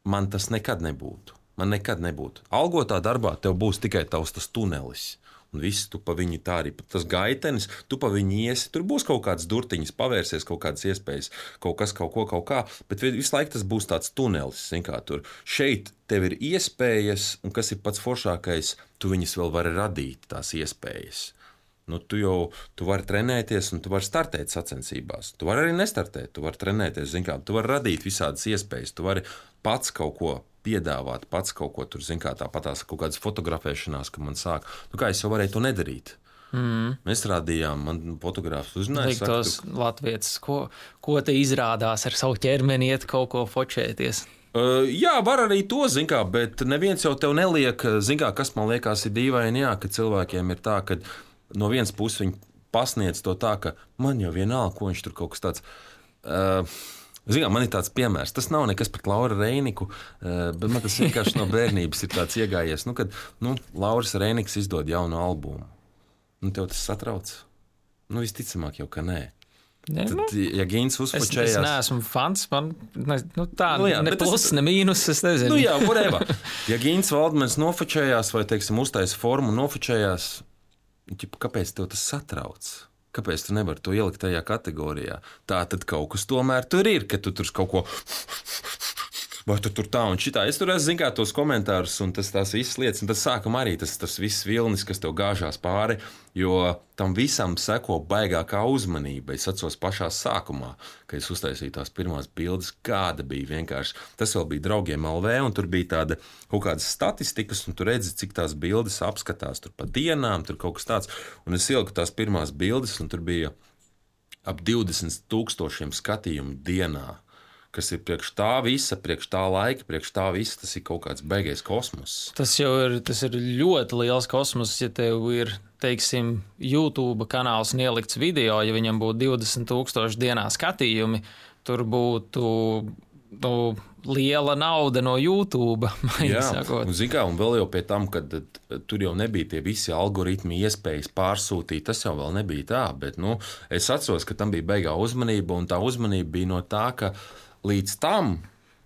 S2: man tas nekad nebūtu. Man nekad nebūtu. Algotā darbā tev būs tikai tavs tas tunelis. Un viss, tu pa viņu tā arī, tas gaitenis, tu pa viņu iesi, tur būs kaut kādas durtiņas, pavērsies kaut kādas iespējas, kaut kas, kaut ko, kaut kā, bet visu laiku tas būs tāds tunelis, zin kā tur. Šeit tev ir iespējas, un kas ir pats foršākais, tu viņas vēl vari radīt, tās iespējas. Nu, tu jau tu vari trenēties, un tu vari startēt sacensībās. Tu vari arī nestartēt, tu vari trenēties, zin kā, tu vari radīt visādas iespējas, tu vari pats kaut ko piedāvāt, pats kaut ko tur, zin kā, tāpatās kaut kādas fotografēšanās, ka man sāk. Nu, kā es jau varēju to nedarīt. Mm. Mēs rādījām, man fotogrāfs uzrunāja.
S1: Tos tu... latvietis, ko, ko te izrādās ar savu ķermeni iet kaut ko fočēties?
S2: Uh, jā, var arī to, zin kā, bet neviens jau tev neliek, zin kā, kas man liekas ir dīvaini, jā, ka cilvēkiem ir tā, ka no vienas puses viņi pasniedz to tā, ka man jau vienalga, ko viņš tur kaut kas tāds. Uh, Zin kā, man ir tāds piemērs. Tas nav nekas pret Lauru Reiniku, uh, bet man tas vienkārši no bērnības ir tāds iegājies. Nu, kad nu, Lauris Reiniks izdod jaunu albumu, nu, tev tas satrauc? Nu, visticamāk jau, ka nē.
S1: Ne,
S2: Tad,
S1: nu,
S2: ja Gins uzpačējās...
S1: Es, es neesmu fans, man ne, nu, tā
S2: nu, jā,
S1: ne plus,
S2: tas...
S1: ne mīnus, es nezinu.
S2: Nu jā, whatever. Ja Gins Valdmans nofačējās vai, teiksim, uztaisa formu nofačējās, kāpēc tev tas satrauc? Kāpēc tu nevari to ielikt tajā kategorijā? Tā tad kaut kas tomēr tur ir, ka tu tur kaut ko... Vai tu tur tā un šitā? Es tur esmu, zin kā, tos komentārus un tas tās visas lietas, un tas sākam arī tas, tas viss vilnis, kas tev gāžās pāri, jo tam visam seko baigākā uzmanība. Es atceros pašā sākumā, kad es uztaisīju tās pirmās bildes, kāda bija vienkārši. Tas vēl bija draugiem L V, un tur bija tāda kaut kādas statistikas, un tu redzi, cik tās bildes apskatās tur pa dienām, tur kaut kas tāds. Un es ieliku tās pirmās bildes, un tur bija ap divdesmit tūkstošiem skatījumu dienā. Kas ir priekš tā visa, priekš tā laika, priekš tā visa, tas ir kaut kāds baigais kosmos.
S1: Tas jau ir, tas ir ļoti liels kosmos, ja tev ir, teiksim, YouTube kanāls un ielikts video, ja viņam būtu divdesmit tūkstoši dienā skatījumi, tur būtu nu, liela nauda no YouTube.
S2: Jā, un zin kā, un vēl jau pie tam, kad tur jau nebija tie visi algoritmi iespējas pārsūtīt, tas jau vēl nebija tā, bet, nu, es atceros, ka tam bija baigā uzmanība, un tā uzmanība bija no tā, ka līdz tam,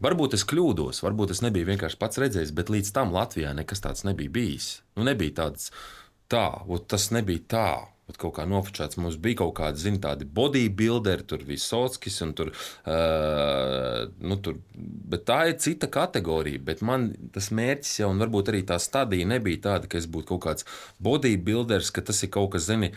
S2: varbūt es kļūdos, varbūt es nebiju vienkārši pats redzējis, bet līdz tam Latvijā nekas tāds nebija bijis. Nu, nebija tāds tā, tas nebija tā. Kaut kā nofočēts, mums bija kaut kādi, zin, tādi bodybuilderi, tur Visockis un tur, uh, nu, tur, bet tā ir cita kategorija, bet man tas mērķis jau, un varbūt arī tā stadija nebija tāda, ka es būtu kaut kāds bodybuilders, ka tas ir kaut kas, zini,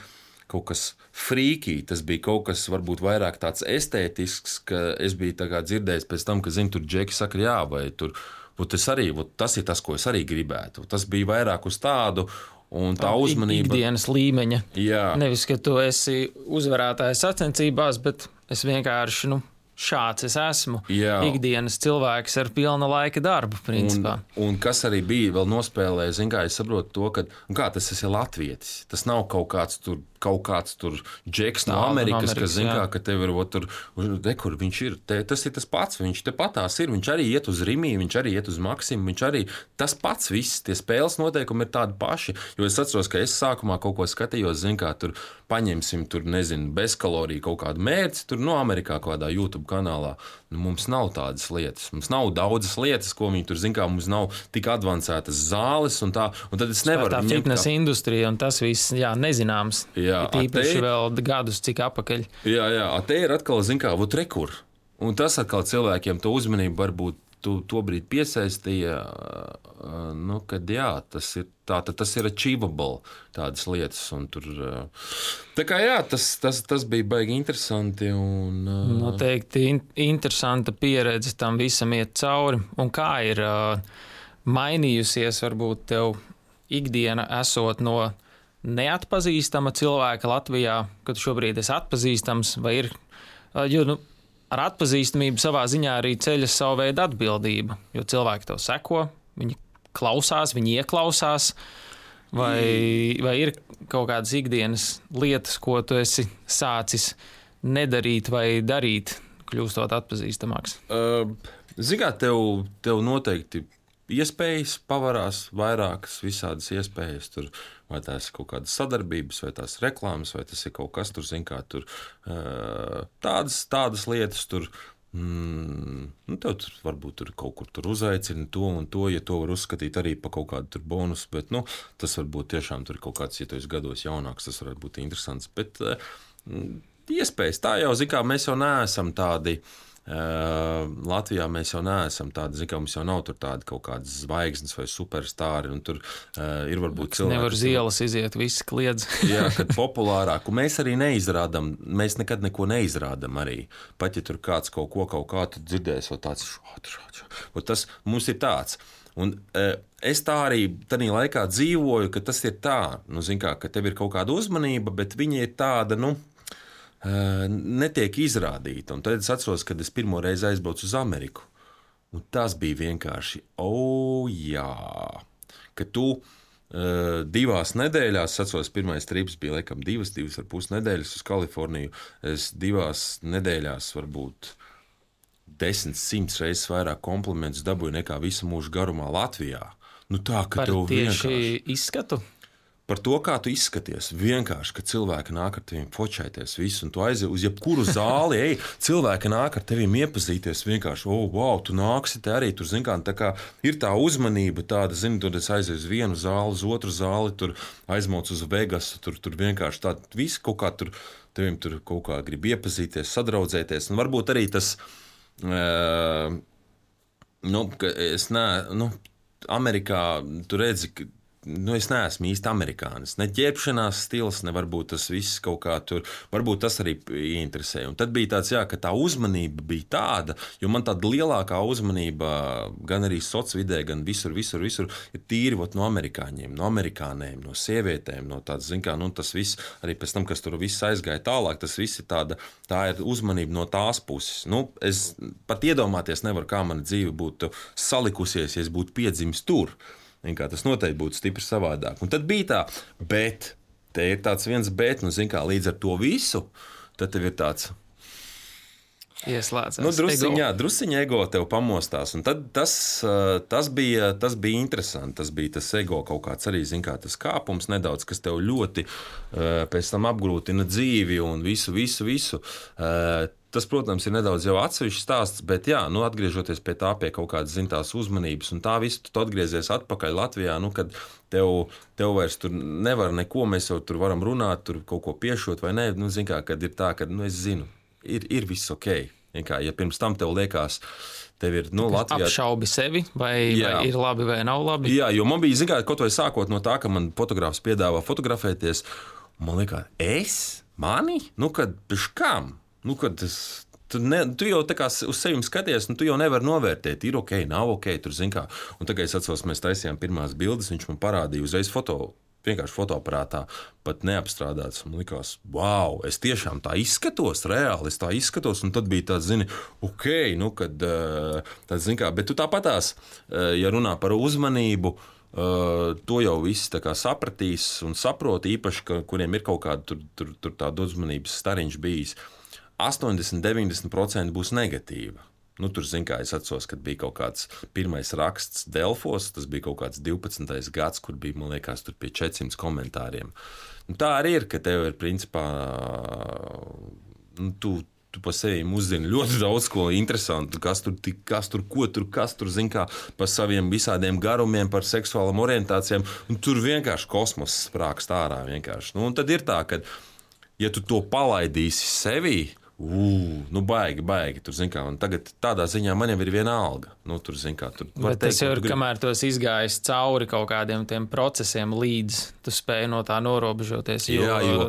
S2: kaut kas frīkī, tas bija kaut kas varbūt vairāk tāds estētisks, ka es biju tā kā dzirdējis pēc tam, ka, zini, tur džeki saka jā, vai tur, tas arī, tas ir tas, ko es arī gribētu. Tas bija vairāk uz tādu, Un tā uzmanība.
S1: Ikdienas līmeņa.
S2: Jā.
S1: Nevis, ka tu esi uzvarētājs sacensībās, bet es vienkārši, nu, šāds es esmu. Jā. Ikdienas cilvēks ar pilna laika darbu, principā.
S2: Un, un kas arī bija vēl nospēlē, zin kā, es saprotu to, ka, kā tas ir latvietis. Tas nav kaut kāds tur, kaut kāds tur džeks no Amerikas, Amerikas, kas zin kā, ka tev ir, ot, tur, de, kur viņš ir, te, tas ir tas pats, viņš te patās ir, viņš arī iet uz Rimī, viņš arī iet uz Maksimu, viņš arī tas pats viss, tie spēles noteikumi ir tādi paši, jo es atceros, ka es sākumā kaut ko skatījos, zin kā, tur paņemsim, tur, nezinu, bezkaloriju kaut kādu mērci, tur no Amerikā kaut kādā YouTube kanālā, nu, mums nav tādas lietas, mums nav daudzas lietas, ko viņi tur, zin kā, mums nav tik advancētas zāles un tā, un tad es nevaru.
S1: Tā fitness kā... industrija un tas viss, jā, nezināms.
S2: Jā,
S1: tīpaši vēl gadus cik apakaļ.
S2: Jā, jā, te ir atkal, zin kā, vot rekur. Un tas atkal cilvēkiem to uzmanību varbūt tu to brīdi piesaistīja, nu, kad jā, tas ir tā, tas ir achievable tādas lietas. Un tur, tā kā jā, tas, tas, tas bija baigi interesanti. Un,
S1: noteikti in, interesanta pieredze tam visam iet cauri. Un kā ir mainījusies varbūt tev ikdiena esot no neatpazīstama cilvēka Latvijā, kad šobrīd esi atpazīstams, vai ir, jo, nu, ar atpazīstamību savā ziņā arī ceļas savu veidu atbildība, jo cilvēki tev seko, viņi klausās, viņi ieklausās, vai, vai ir kaut kādas ikdienas lietas, ko tu esi sācis nedarīt vai darīt, kļūstot atpazīstamāks?
S2: Uh, Zigā, tev, tev noteikti iespējas pavarās, vairākas visādas iespējas tur, vai tās ir kaut kādas sadarbības, vai tās reklāmas, vai tas ir kaut kas tur, zin kā, tur tādas, tādas lietas tur, mm, nu, tev tur varbūt tur kaut kur tur uzaicina to un to, ja to var uzskatīt arī pa kaut kādu tur bonusu, bet, nu, tas varbūt tiešām tur ir kaut kāds, ja tu esi gados jaunāks, tas varētu būt interesants, bet mm, iespējas, tā jau, zin kā, mēs jau neesam tādi, Uh, Latvijā mēs jau neesam tādi, zin kā, mums jau nav tur tādi kaut kādas zvaigznes vai superstāri, un tur uh, ir varbūt cilvēki.
S1: Nevar uz ielas iziet, visi kliedz.
S2: Jā, kad populārāk, un mēs arī neizrādam, mēs nekad neko neizrādam arī. Pat ja tur kāds kaut ko kaut kā tu dzirdēs, vai tāds šādi, šādi, šādi. Tas mums ir tāds. Un uh, es tā arī tādā laikā dzīvoju, ka tas ir tā, nu, zin kā, ka tev ir kaut kāda uzmanība, bet viņa ir tāda, nu, netiek izrādīta. Un tad es atceros, kad es pirmo reizi aizbraucu uz Ameriku. Un tas bija vienkārši, o, oh, jā, ka tu uh, divās nedēļās, es atceros, pirmais trips bija laikam divas, divas ar pus nedēļas uz Kaliforniju. Es divās nedēļās varbūt desmit, simts reizes vairāk komplimentus dabūju nekā visu mūžu garumā Latvijā. Nu tā, ka
S1: par
S2: tev
S1: tieši
S2: vienkārši
S1: izskatu?
S2: Par to, kā tu izskaties. Vienkārši, ka cilvēki nāk ar teviem fočēties visu, un tu aizies uz jebkuru zāli, ej, cilvēki nāk ar teviem iepazīties vienkārši, o, oh, wow, tu nāksi te arī, tur, zin kā, tā kā ir tā uzmanība tāda, zini, tur es aizieju uz vienu zāli, uz otru zāli, tur aizmauc uz Vegasu, tur, tur vienkārši tā, viss kaut kā tur, teviem tur kaut kā grib iepazīties, sadraudzēties, un varbūt arī tas, uh, nu, ka es ne, nu, Amerikā, tu redzi, ka nu, es neesmu īsti amerikānis. Ne ģērbšanās stils, ne varbūt tas viss kaut kā tur, varbūt tas arī interesē. Un tad bija tāds, jā, ka tā uzmanība bija tāda, jo man tāda lielākā uzmanība gan arī socvidē, gan visur, visur, visur ir tīri ot, no amerikāņiem, no amerikānēm, no sievietēm, no tāds, zin kā, nu, tas viss, arī pēc tam, kas tur viss aizgāja tālāk, tas viss ir tāda, tā ir uzmanība no tās puses. Nu, es pat iedomāties nevaru, kā mana dzīve būtu salikusies, ja es būtu piedzimis tur. Kā tas noteikti būtu stipri savādāk. Un tad bija tā, bet te ir tāds viens bet, nu, zin kā, līdz ar to visu, tad tev ir tāds
S1: ieslēdzās.
S2: Nu, drusiņā, drusiņa ego tev pamostās. Un tad tas, tas, bija, tas bija interesanti. Tas bija tas ego kaut kāds arī, zin kā, tas kāpums nedaudz, kas tev ļoti pēc tam apgrūtina dzīvi un visu, visu, visu. Tas, protams, ir nedaudz jau atsevišķs stāsts, bet jā, nu, atgriežoties pie tā, pie kaut kādas zintās uzmanības, un tā visu tu atgriezies atpakaļ Latvijā, nu, kad tev, tev vairs tur nevar neko, mēs jau tur varam runāt, tur kaut ko piešot vai nē, nu, zin kā, kad ir tā, ka, nu, es zinu, ir, ir viss ok. Kā, ja pirms tam tev liekas, tev ir, nu, Latvijā...
S1: Apšaubi sevi, vai, vai ir labi vai nav labi?
S2: Jā, jo man bija, zin kā, kaut vai sākot no tā, ka man fotogrāfs piedāvā fotografēties, man liekas, es? Mani? Nu, kad, piš kam? Nu, kad tas, tu, ne, tu jau tā kā uz sevi skaties, nu, tu jau nevari novērtēt, ir ok, nav ok, tur zin kā. Un tagad es atceros, mēs taisījām pirmās bildes, viņš man parādīja uzreiz foto, vienkārši fotoaparātā pat neapstrādāts. Man likās, wow, es tiešām tā izskatos, reāli es tā izskatos, un tad bija tāds, zini, ok, nu, kad, tāds, zini kā, bet tu tāpatās, ja runā par uzmanību, to jau visi tā kā sapratīs un saprot, īpaši, ka, kuriem ir kaut kāda tur, tur, tur tāda uzmanības stariņš bijis, astoņdesmit līdz deviņdesmit procenti būs negatīva. Nu, tur, zin kā, es atceros, kad bija kaut kāds pirmais raksts Delfos, tas bija kaut kāds divpadsmitais gads, kur bija, man liekas, tur pie četrsimt komentāriem. Nu, tā arī ir, ka tev ir, principā, nu, tu, tu pa sevim uzzini ļoti daudz ko interesantu, kas tur, kas tur, ko tur, kas tur, zin kā, par saviem visādiem garumiem, par seksuālām orientācijām, un tur vienkārši kosmos sprākst ārā vienkārši. Nu, un tad ir tā, ka, ja tu to palaidīsi sevī, Uh, nu baigi, baigi. Tur, kā, tagad tādā ziņā man jau ir viena alga. Nu, tur, kā, tur
S1: Bet tas jau ir, grib... kamēr tu esi izgājis cauri kaut kādiem tiem procesiem, līdz tu spēji no tā norobežoties. Jo... Jā, jo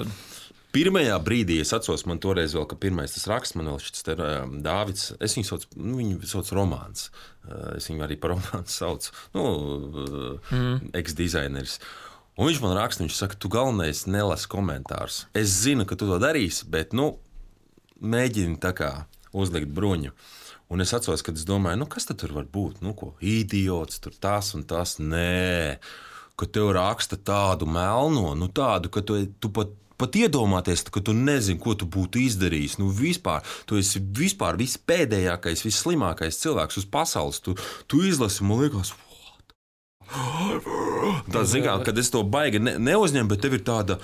S2: pirmajā brīdī, es atceros, man toreiz vēl, ka pirmais tas raksts, man vēl šis te Dāvids, es viņu sauc, nu, viņu sauc Romāns. Es viņu arī par Romānu saucu. Nu, mm. ex-dizaineris. Un viņš man raksta, viņš saka, tu galvenais nelasi komentārus. Es zinu, ka tu to darīsi, bet, nu, mēģini tā kā uzlikt bruņu. Un es atceros, kad es domāju, nu kas tad tur var būt? Nu ko, idiots, tur tas un tas. Nē, ka tev raksta tādu melno, nu tādu, ka tu, tu pat, pat iedomāties, ka tu nezini, ko tu būtu izdarījis. Nu vispār, tu esi vispār vispēdējākais, visslimākais cilvēks uz pasaules. Tu, tu izlasi, man liekas, tā, zin kā, kad es to baigi ne, neuzņemu, bet tev ir tāda...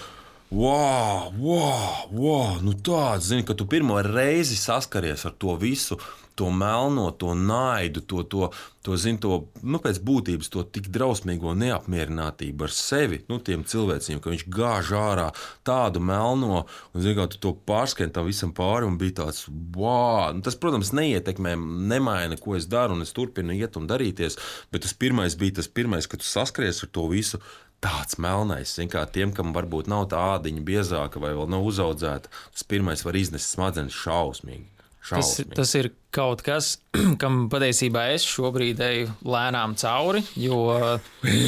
S2: Wow, wow, wow, nu tāds, zini, ka tu pirmo reizi saskaries ar to visu, to melno, to naidu, to, to, to zini, to, nu, pēc būtības to tik drausmīgo neapmierinātību ar sevi, nu, tiem cilvēciem, ka viņš gāž ārā tādu melno, un, zini, kā tu to pārskrien tam visam pāri, un bija tāds, wow, nu, tas, protams, neietekmē, nemaina, ko es daru, un es turpinu iet un darīties, bet tas pirmais bija tas pirmais, ka tu saskaries ar to visu, tāds melnais, zin kā tiem, kam varbūt nav tā ādiņa biezāka vai vēl nav uzaudzēta, tas pirmais var iznest smadzenes šausmīgi. šausmīgi. Tas,
S1: tas ir kaut kas, kam patiesībā es šobrīd eju lēnām cauri, jo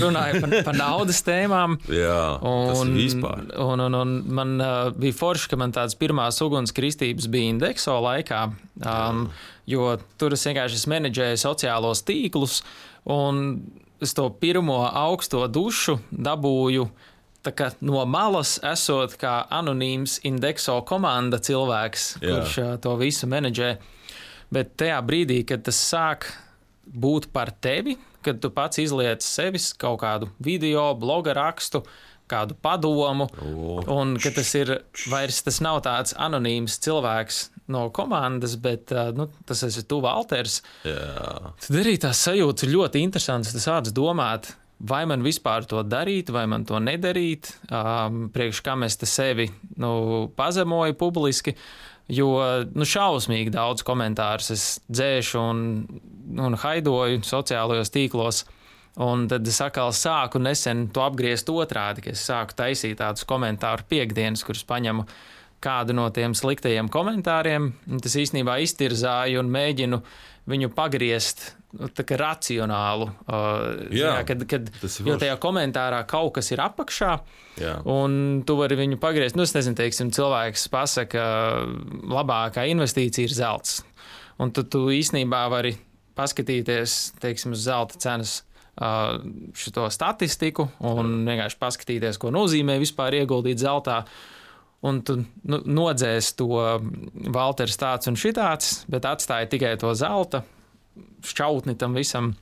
S1: runāju par, par naudas tēmām.
S2: Jā, un, tas ir vispār.
S1: Un, un, un man uh, bija forši, ka man tāds pirmās ugunskristības bija Indexo laikā, um, jo tur es vienkārši menedžēju sociālos tīklus un es to pirmo augsto dušu dabūju tā kā no malas, esot kā anonīms Indexo komanda cilvēks, Jā. kurš to visu menedžē. Bet tajā brīdī, kad tas sāk būt par tevi, kad tu pats izliec sevis kaut kādu video, bloga rakstu, kādu padomu, oh. un ka tas ir vairs tas nav tāds anonīms cilvēks no komandas, bet nu, tas esi tu, Valters.
S2: Jā.
S1: Tad arī tās sajūtas ir ļoti interesantas. Tas sāc domāt, vai man vispār to darīt, vai man to nedarīt, um, priekš kam es te sevi nu, pazemoju publiski, jo nu, šausmīgi daudz komentārus es dzēšu un, un haidoju sociālajos tīklos. Un tad es atkal sāku nesen to apgriezt otrādi, ka es sāku taisīt tādus komentāru piekdienas, kurus paņemu kādu no tiem sliktajiem komentāriem. Tas īstenībā iztirzāju un mēģinu viņu pagriezt nu, tā kā racionālu.
S2: Jā,
S1: jā, kad, kad, jo tajā komentārā kaut kas ir apakšā,
S2: jā.
S1: un tu vari viņu pagriezt. Nu, es nezinu, teiksim, cilvēks pasaka, labākā investīcija ir zelts. Un tu, tu īstenībā vari paskatīties, teiksim, uz zelta cenas šo statistiku un vienkārši paskatīties, ko nozīmē vispār ieguldīt zeltā. Un tu nu, nodzēs to Valters tāds un šitāds, bet atstāja tikai to zelta šķautni tam visam.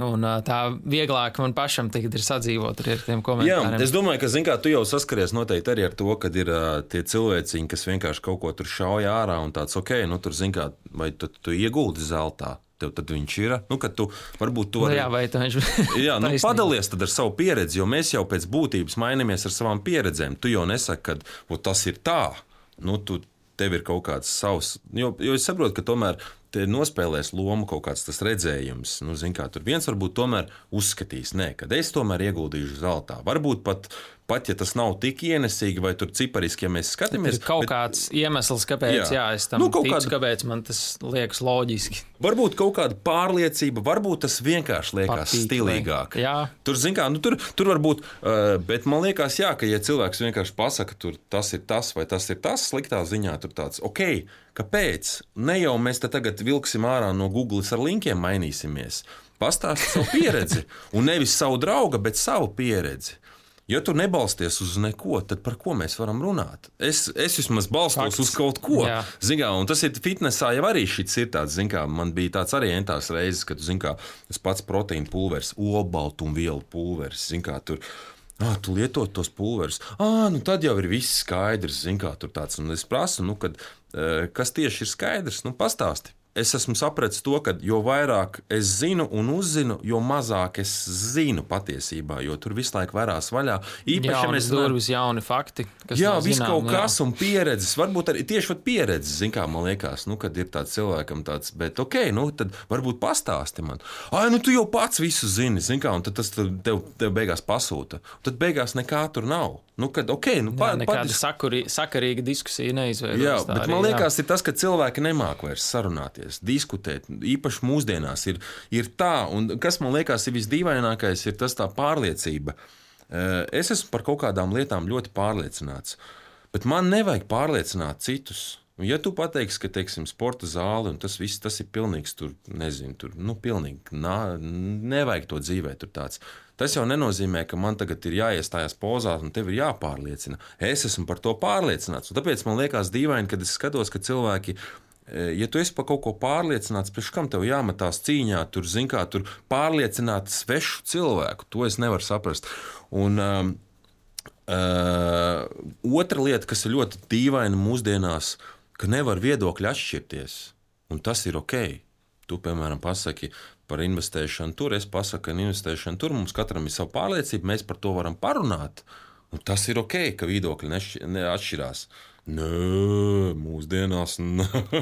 S1: Un tā vieglāk man pašam tagad ir sadzīvot ar tiem komentāriem.
S2: Jā, es domāju, ka, zin kā, tu jau saskaries noteikti arī ar to, kad ir uh, tie cilvēciņi, kas vienkārši kaut ko tur šauja ārā un tāds, ok, nu tur, zin kā, vai tu, tu ieguldi zeltā? Tev tad viņš ir. Nu, kad tu varbūt to
S1: vari... Nu, jā, vai tu viņš...
S2: jā, nu, padalies tad ar savu pieredzi, jo mēs jau pēc būtības mainamies ar savām pieredzēm. Tu jau nesaki, ka o, tas ir tā. Nu, tu, tev ir kaut kāds savs... Jo, jo es saprotu, ka tomēr te nospēlēs lomu kaut kāds tas redzējums. Nu, zin kā, tur viens varbūt tomēr uzskatīs, nē, kad es tomēr ieguldīšu zeltā. Varbūt pat pat ja tas nav tik ienesīgi vai tur cipariski, ja mēs skatāmies.
S1: Ir kaut bet, kāds iemesls, kāpēc jā. Jā, es tam nu, ticu, kāda, kāpēc man tas liekas loģiski.
S2: Varbūt kaut kāda pārliecība, varbūt tas vienkārši liekas Patīk, stilīgāk.
S1: Jā.
S2: Tur, zin kā, nu, tur, tur varbūt, uh, bet man liekas, jā, ka ja cilvēks vienkārši pasaka, tur tas ir tas vai tas ir tas, sliktā ziņā tur tāds, ok, kāpēc? Ne jau mēs te tagad vilksim ārā no Google ar linkiem mainīsimies. Pastāsti savu pieredzi, un nevis savu draugu, bet savu pieredzi. Ja tu nebalsties uz neko, tad par ko mēs varam runāt? Es, es vismaz balstos Fakts. Uz kaut ko. Zin kā, un tas ir fitnesā jau arī šits ir tāds, zin kā, man bija tāds arī entās reizes, kad, zin kā, tas pats proteīna pulveris, olbaltumvielu pulveris, zin kā, tur, ah, tu lietot tos pulverus, ah, nu tad jau ir viss skaidrs, zin kā, tur tāds, un es prasu, nu, kad, kas tieši ir skaidrs, nu, pastāsti. Es esmu sapratis to, ka jo vairāk es zinu un uzzinu, jo mazāk es zinu patiesībā, jo tur visu laiku varās vaļā.
S1: Īpaši, ja mēs durvis jauni fakti, kas
S2: jā,
S1: nav
S2: viss
S1: zinām,
S2: kaut
S1: jā.
S2: kas un pieredzes, varbūt arī tieši pat pieredzes, zin kā man liekas, nu, kad ir tāds cilvēkam tāds, bet ok, nu, tad varbūt pastāsti man. Ai, nu, tu jau pats visu zini, zin kā, un tad tas tev, tev beigās pasūta. Tad beigās nekā tur nav. Nu, kad, okay, nu,
S1: jā, nekāda padis... sakurī, sakarīga diskusija neizveidojas.
S2: Jā, bet
S1: arī,
S2: man liekas,
S1: jā.
S2: ir tas, ka cilvēki nemāk vairs sarunāties, diskutēt. Īpaši mūsdienās ir, ir tā, un kas man liekas ir visdīvainākais, ir tas tā pārliecība. Es esmu par kaut kādām lietām ļoti pārliecināts, bet man nevajag pārliecināt citus. Ja tu pateiksi, ka, teiksim, sporta zāle un tas viss, tas ir pilnīgs tur, nezinu, tur, nu, pilnīgi, nā, nevajag to dzīvē tur tāds. Tas jau nenozīmē, ka man tagad ir jāiestājās pozā un tev ir jāpārliecina. Es esmu par to pārliecināts. Un tāpēc man liekas dīvaini, kad es skatos, ka cilvēki, ja tu esi par kaut ko pārliecināts, priekš kam tev jāmetās cīņā, tur, zin kā, tur pārliecināt svešu cilvēku, to es nevaru saprast. Un um, uh, otra lieta, kas ir ļoti dīvaina mūsdienās, ka nevar viedokļi atšķirties, un tas ir ok. Tu, piemēram, pasaki par investēšanu tur, es pasaku, ka investēšana tur, mums katram ir sava pārliecība, mēs par to varam parunāt, un tas ir ok, ka viedokļi neatšķirās. Nē, mūsdienās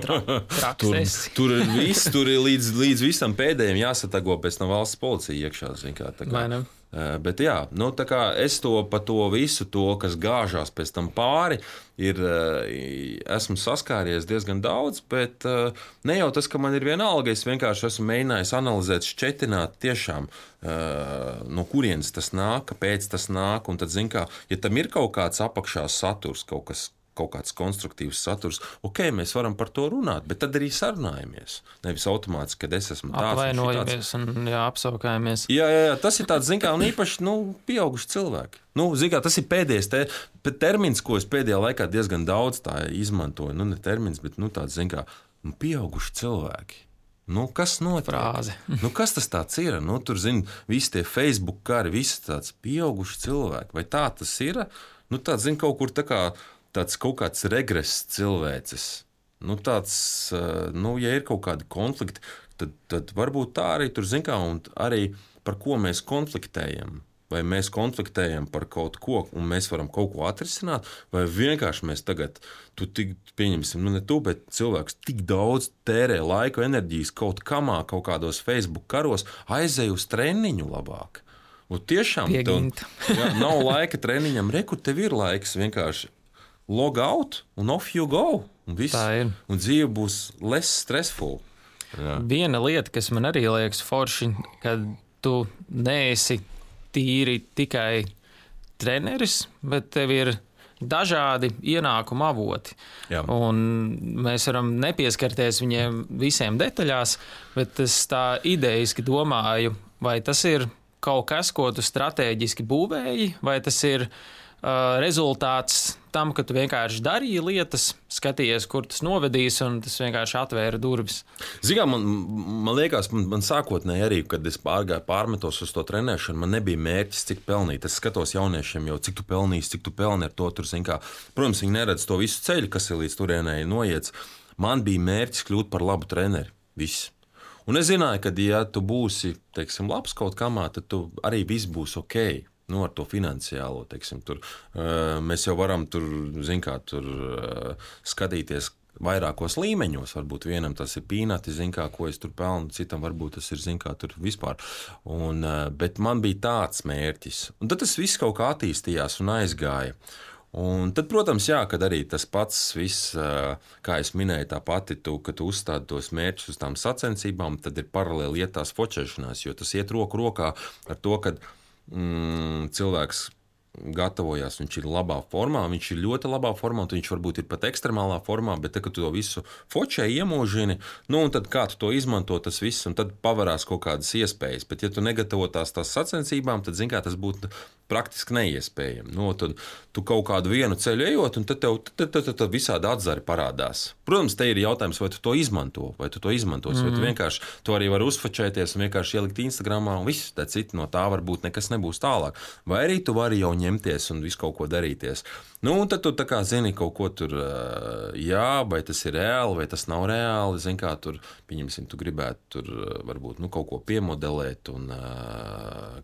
S1: Tra,
S2: tur, tur ir viss, tur ir līdz, līdz visam pēdējiem jāsatago pēc tam valsts policija iekšā, zin kā, tā kā. Bet jā, nu, tā kā es to pa to visu to, kas gāžās pēc tam pāri, ir, esmu saskāries diezgan daudz, bet ne jau tas, ka man ir vienalga, es vienkārši esmu mēģinājis analizēt, šķetināt tiešām, no kurienes tas nāk, kāpēc tas nāk, un tad, zin kā, ja tam ir kaut kāds apakšā saturs, kaut kas, kaut kāds konstruktīvs saturs, ok, mēs varam par to runāt, bet tad arī sarunājamies. Nevis automātiski, kad es esmu tāds.
S1: Apvainojamies un, un jā, apsaukājamies.
S2: Jā, jā, jā, tas ir tāds, zin kā, un īpaši, nu, pieauguši cilvēki. Nu, zin kā, tas ir pēdējais te, termins, ko es pēdējā laikā diezgan daudz tā izmantoju. Nu, ne termins, bet, nu, tāds, zin kā, nu, pieauguši cilvēki. Nu, kas notiek?
S1: Frāze.
S2: Nu, kas tas tāds ir? Nu, tur, zin, visi tie Facebook kari, visi tāds pieauguši cilvēki. Vai tā tas ir? Nu, tāds, zin, kaut kur tā kā tāds kaut kāds regress cilvēces. Nu, tāds, nu, ja ir kaut kādi konflikti, tad, tad varbūt tā arī tur, zin kā, un arī par ko mēs konfliktējam. Vai mēs konfliktējam par kaut ko, un mēs varam kaut ko atrisināt, vai vienkārši mēs tagad, tu tik, pieņemsim, nu ne tu, bet cilvēks tik daudz tērē laiku, enerģijas kaut kamā, kaut kādos Facebook karos, aizej uz treniņu labāk. Un tiešām tev, jā, nav laika treniņam, re, kur tev ir laiks vienkārši log out un off you go. Un, viss, un dzīve būs less stressful. Jā.
S1: Viena lieta, kas man arī liekas forši, kad tu neesi tīri tikai treneris, bet tev ir dažādi ienākuma avoti. Jā. Un mēs varam nepieskarties viņiem visiem detaļās, bet es tā idejiski domāju, vai tas ir kaut kas, ko tu stratēģiski būvēji, vai tas ir Uh, rezultāts tam, ka tu vienkārši darīji lietas, skatījies, kur tas novedīs, un tas vienkārši atvēra durvis.
S2: Zinām, man, man liekas, man, man sākotnēji arī, kad es pārgāju pārmetos uz to trenēšanu, man nebija mērķis, cik pelnīt. Es skatos jauniešiem jau, cik tu pelnīsi, cik tu pelni ar to tur, zin kā. Protams, viņi neredz to visu ceļu, kas ir līdz turienei noiets. Man bija mērķis kļūt par labu treneri. Viss. Un es zināju, ka, ja tu būsi, teiksim, labs kaut kamā, tad tu arī viss būs ok. Nu, ar to finansiālo, teiksim, tur, uh, mēs jau varam tur, zin kā, tur uh, skatīties, vairākos līmeņos. Varbūt vienam tas ir pīnati, zin kā, ko es tur pelnu, citam varbūt tas ir, zin kā, tur vispār. Un, bet man bija tāds mērķis. Un tad tas viss kaut kā attīstījās un aizgāja. Un tad, protams, jā, kad arī tas pats viss, kā es minēju, tā pati, tu, kad tu uzstādi tos mērķus uz tām sacensībām, tad ir paralēli iet tās fočēšanās, jo tas iet roku rokā ar to, ka mm, cilvēks gatavojās, viņš ir labā formā, viņš ir ļoti labā formā, un viņš varbūt ir pat ekstremālā formā, bet tad, kad tu to visu fočē iemūžini, nu, un tad kā tu to izmanto, tas viss, un tad pavarās kaut kādas iespējas, bet ja tu negatavotās tās sacensībām, tad, zin kā, tas būtu praktiski neiespējami. Nu, tad tu kaut kādu vienu ceļu ejot, un tad tev tad, tad, tad, tad visādi atzari parādās. Protams, te ir jautājums, vai tu to izmanto, vai tu to izmantos, mm-hmm. vai tu vienkārši to arī vari uzfočēties un vienkārši ielikt Instagramā, un viss, tā citi no tā varbūt nekas nebūs tālāk. Vai arī tu vari jau ņemties un visu kaut ko darīties. Nu, un tad tu tā kā zini kaut ko tur, jā, vai tas ir reāli, vai tas nav reāli, zini kā tur, pieņemsim, tu gribētu tur varbūt, nu, kaut ko piemodelēt un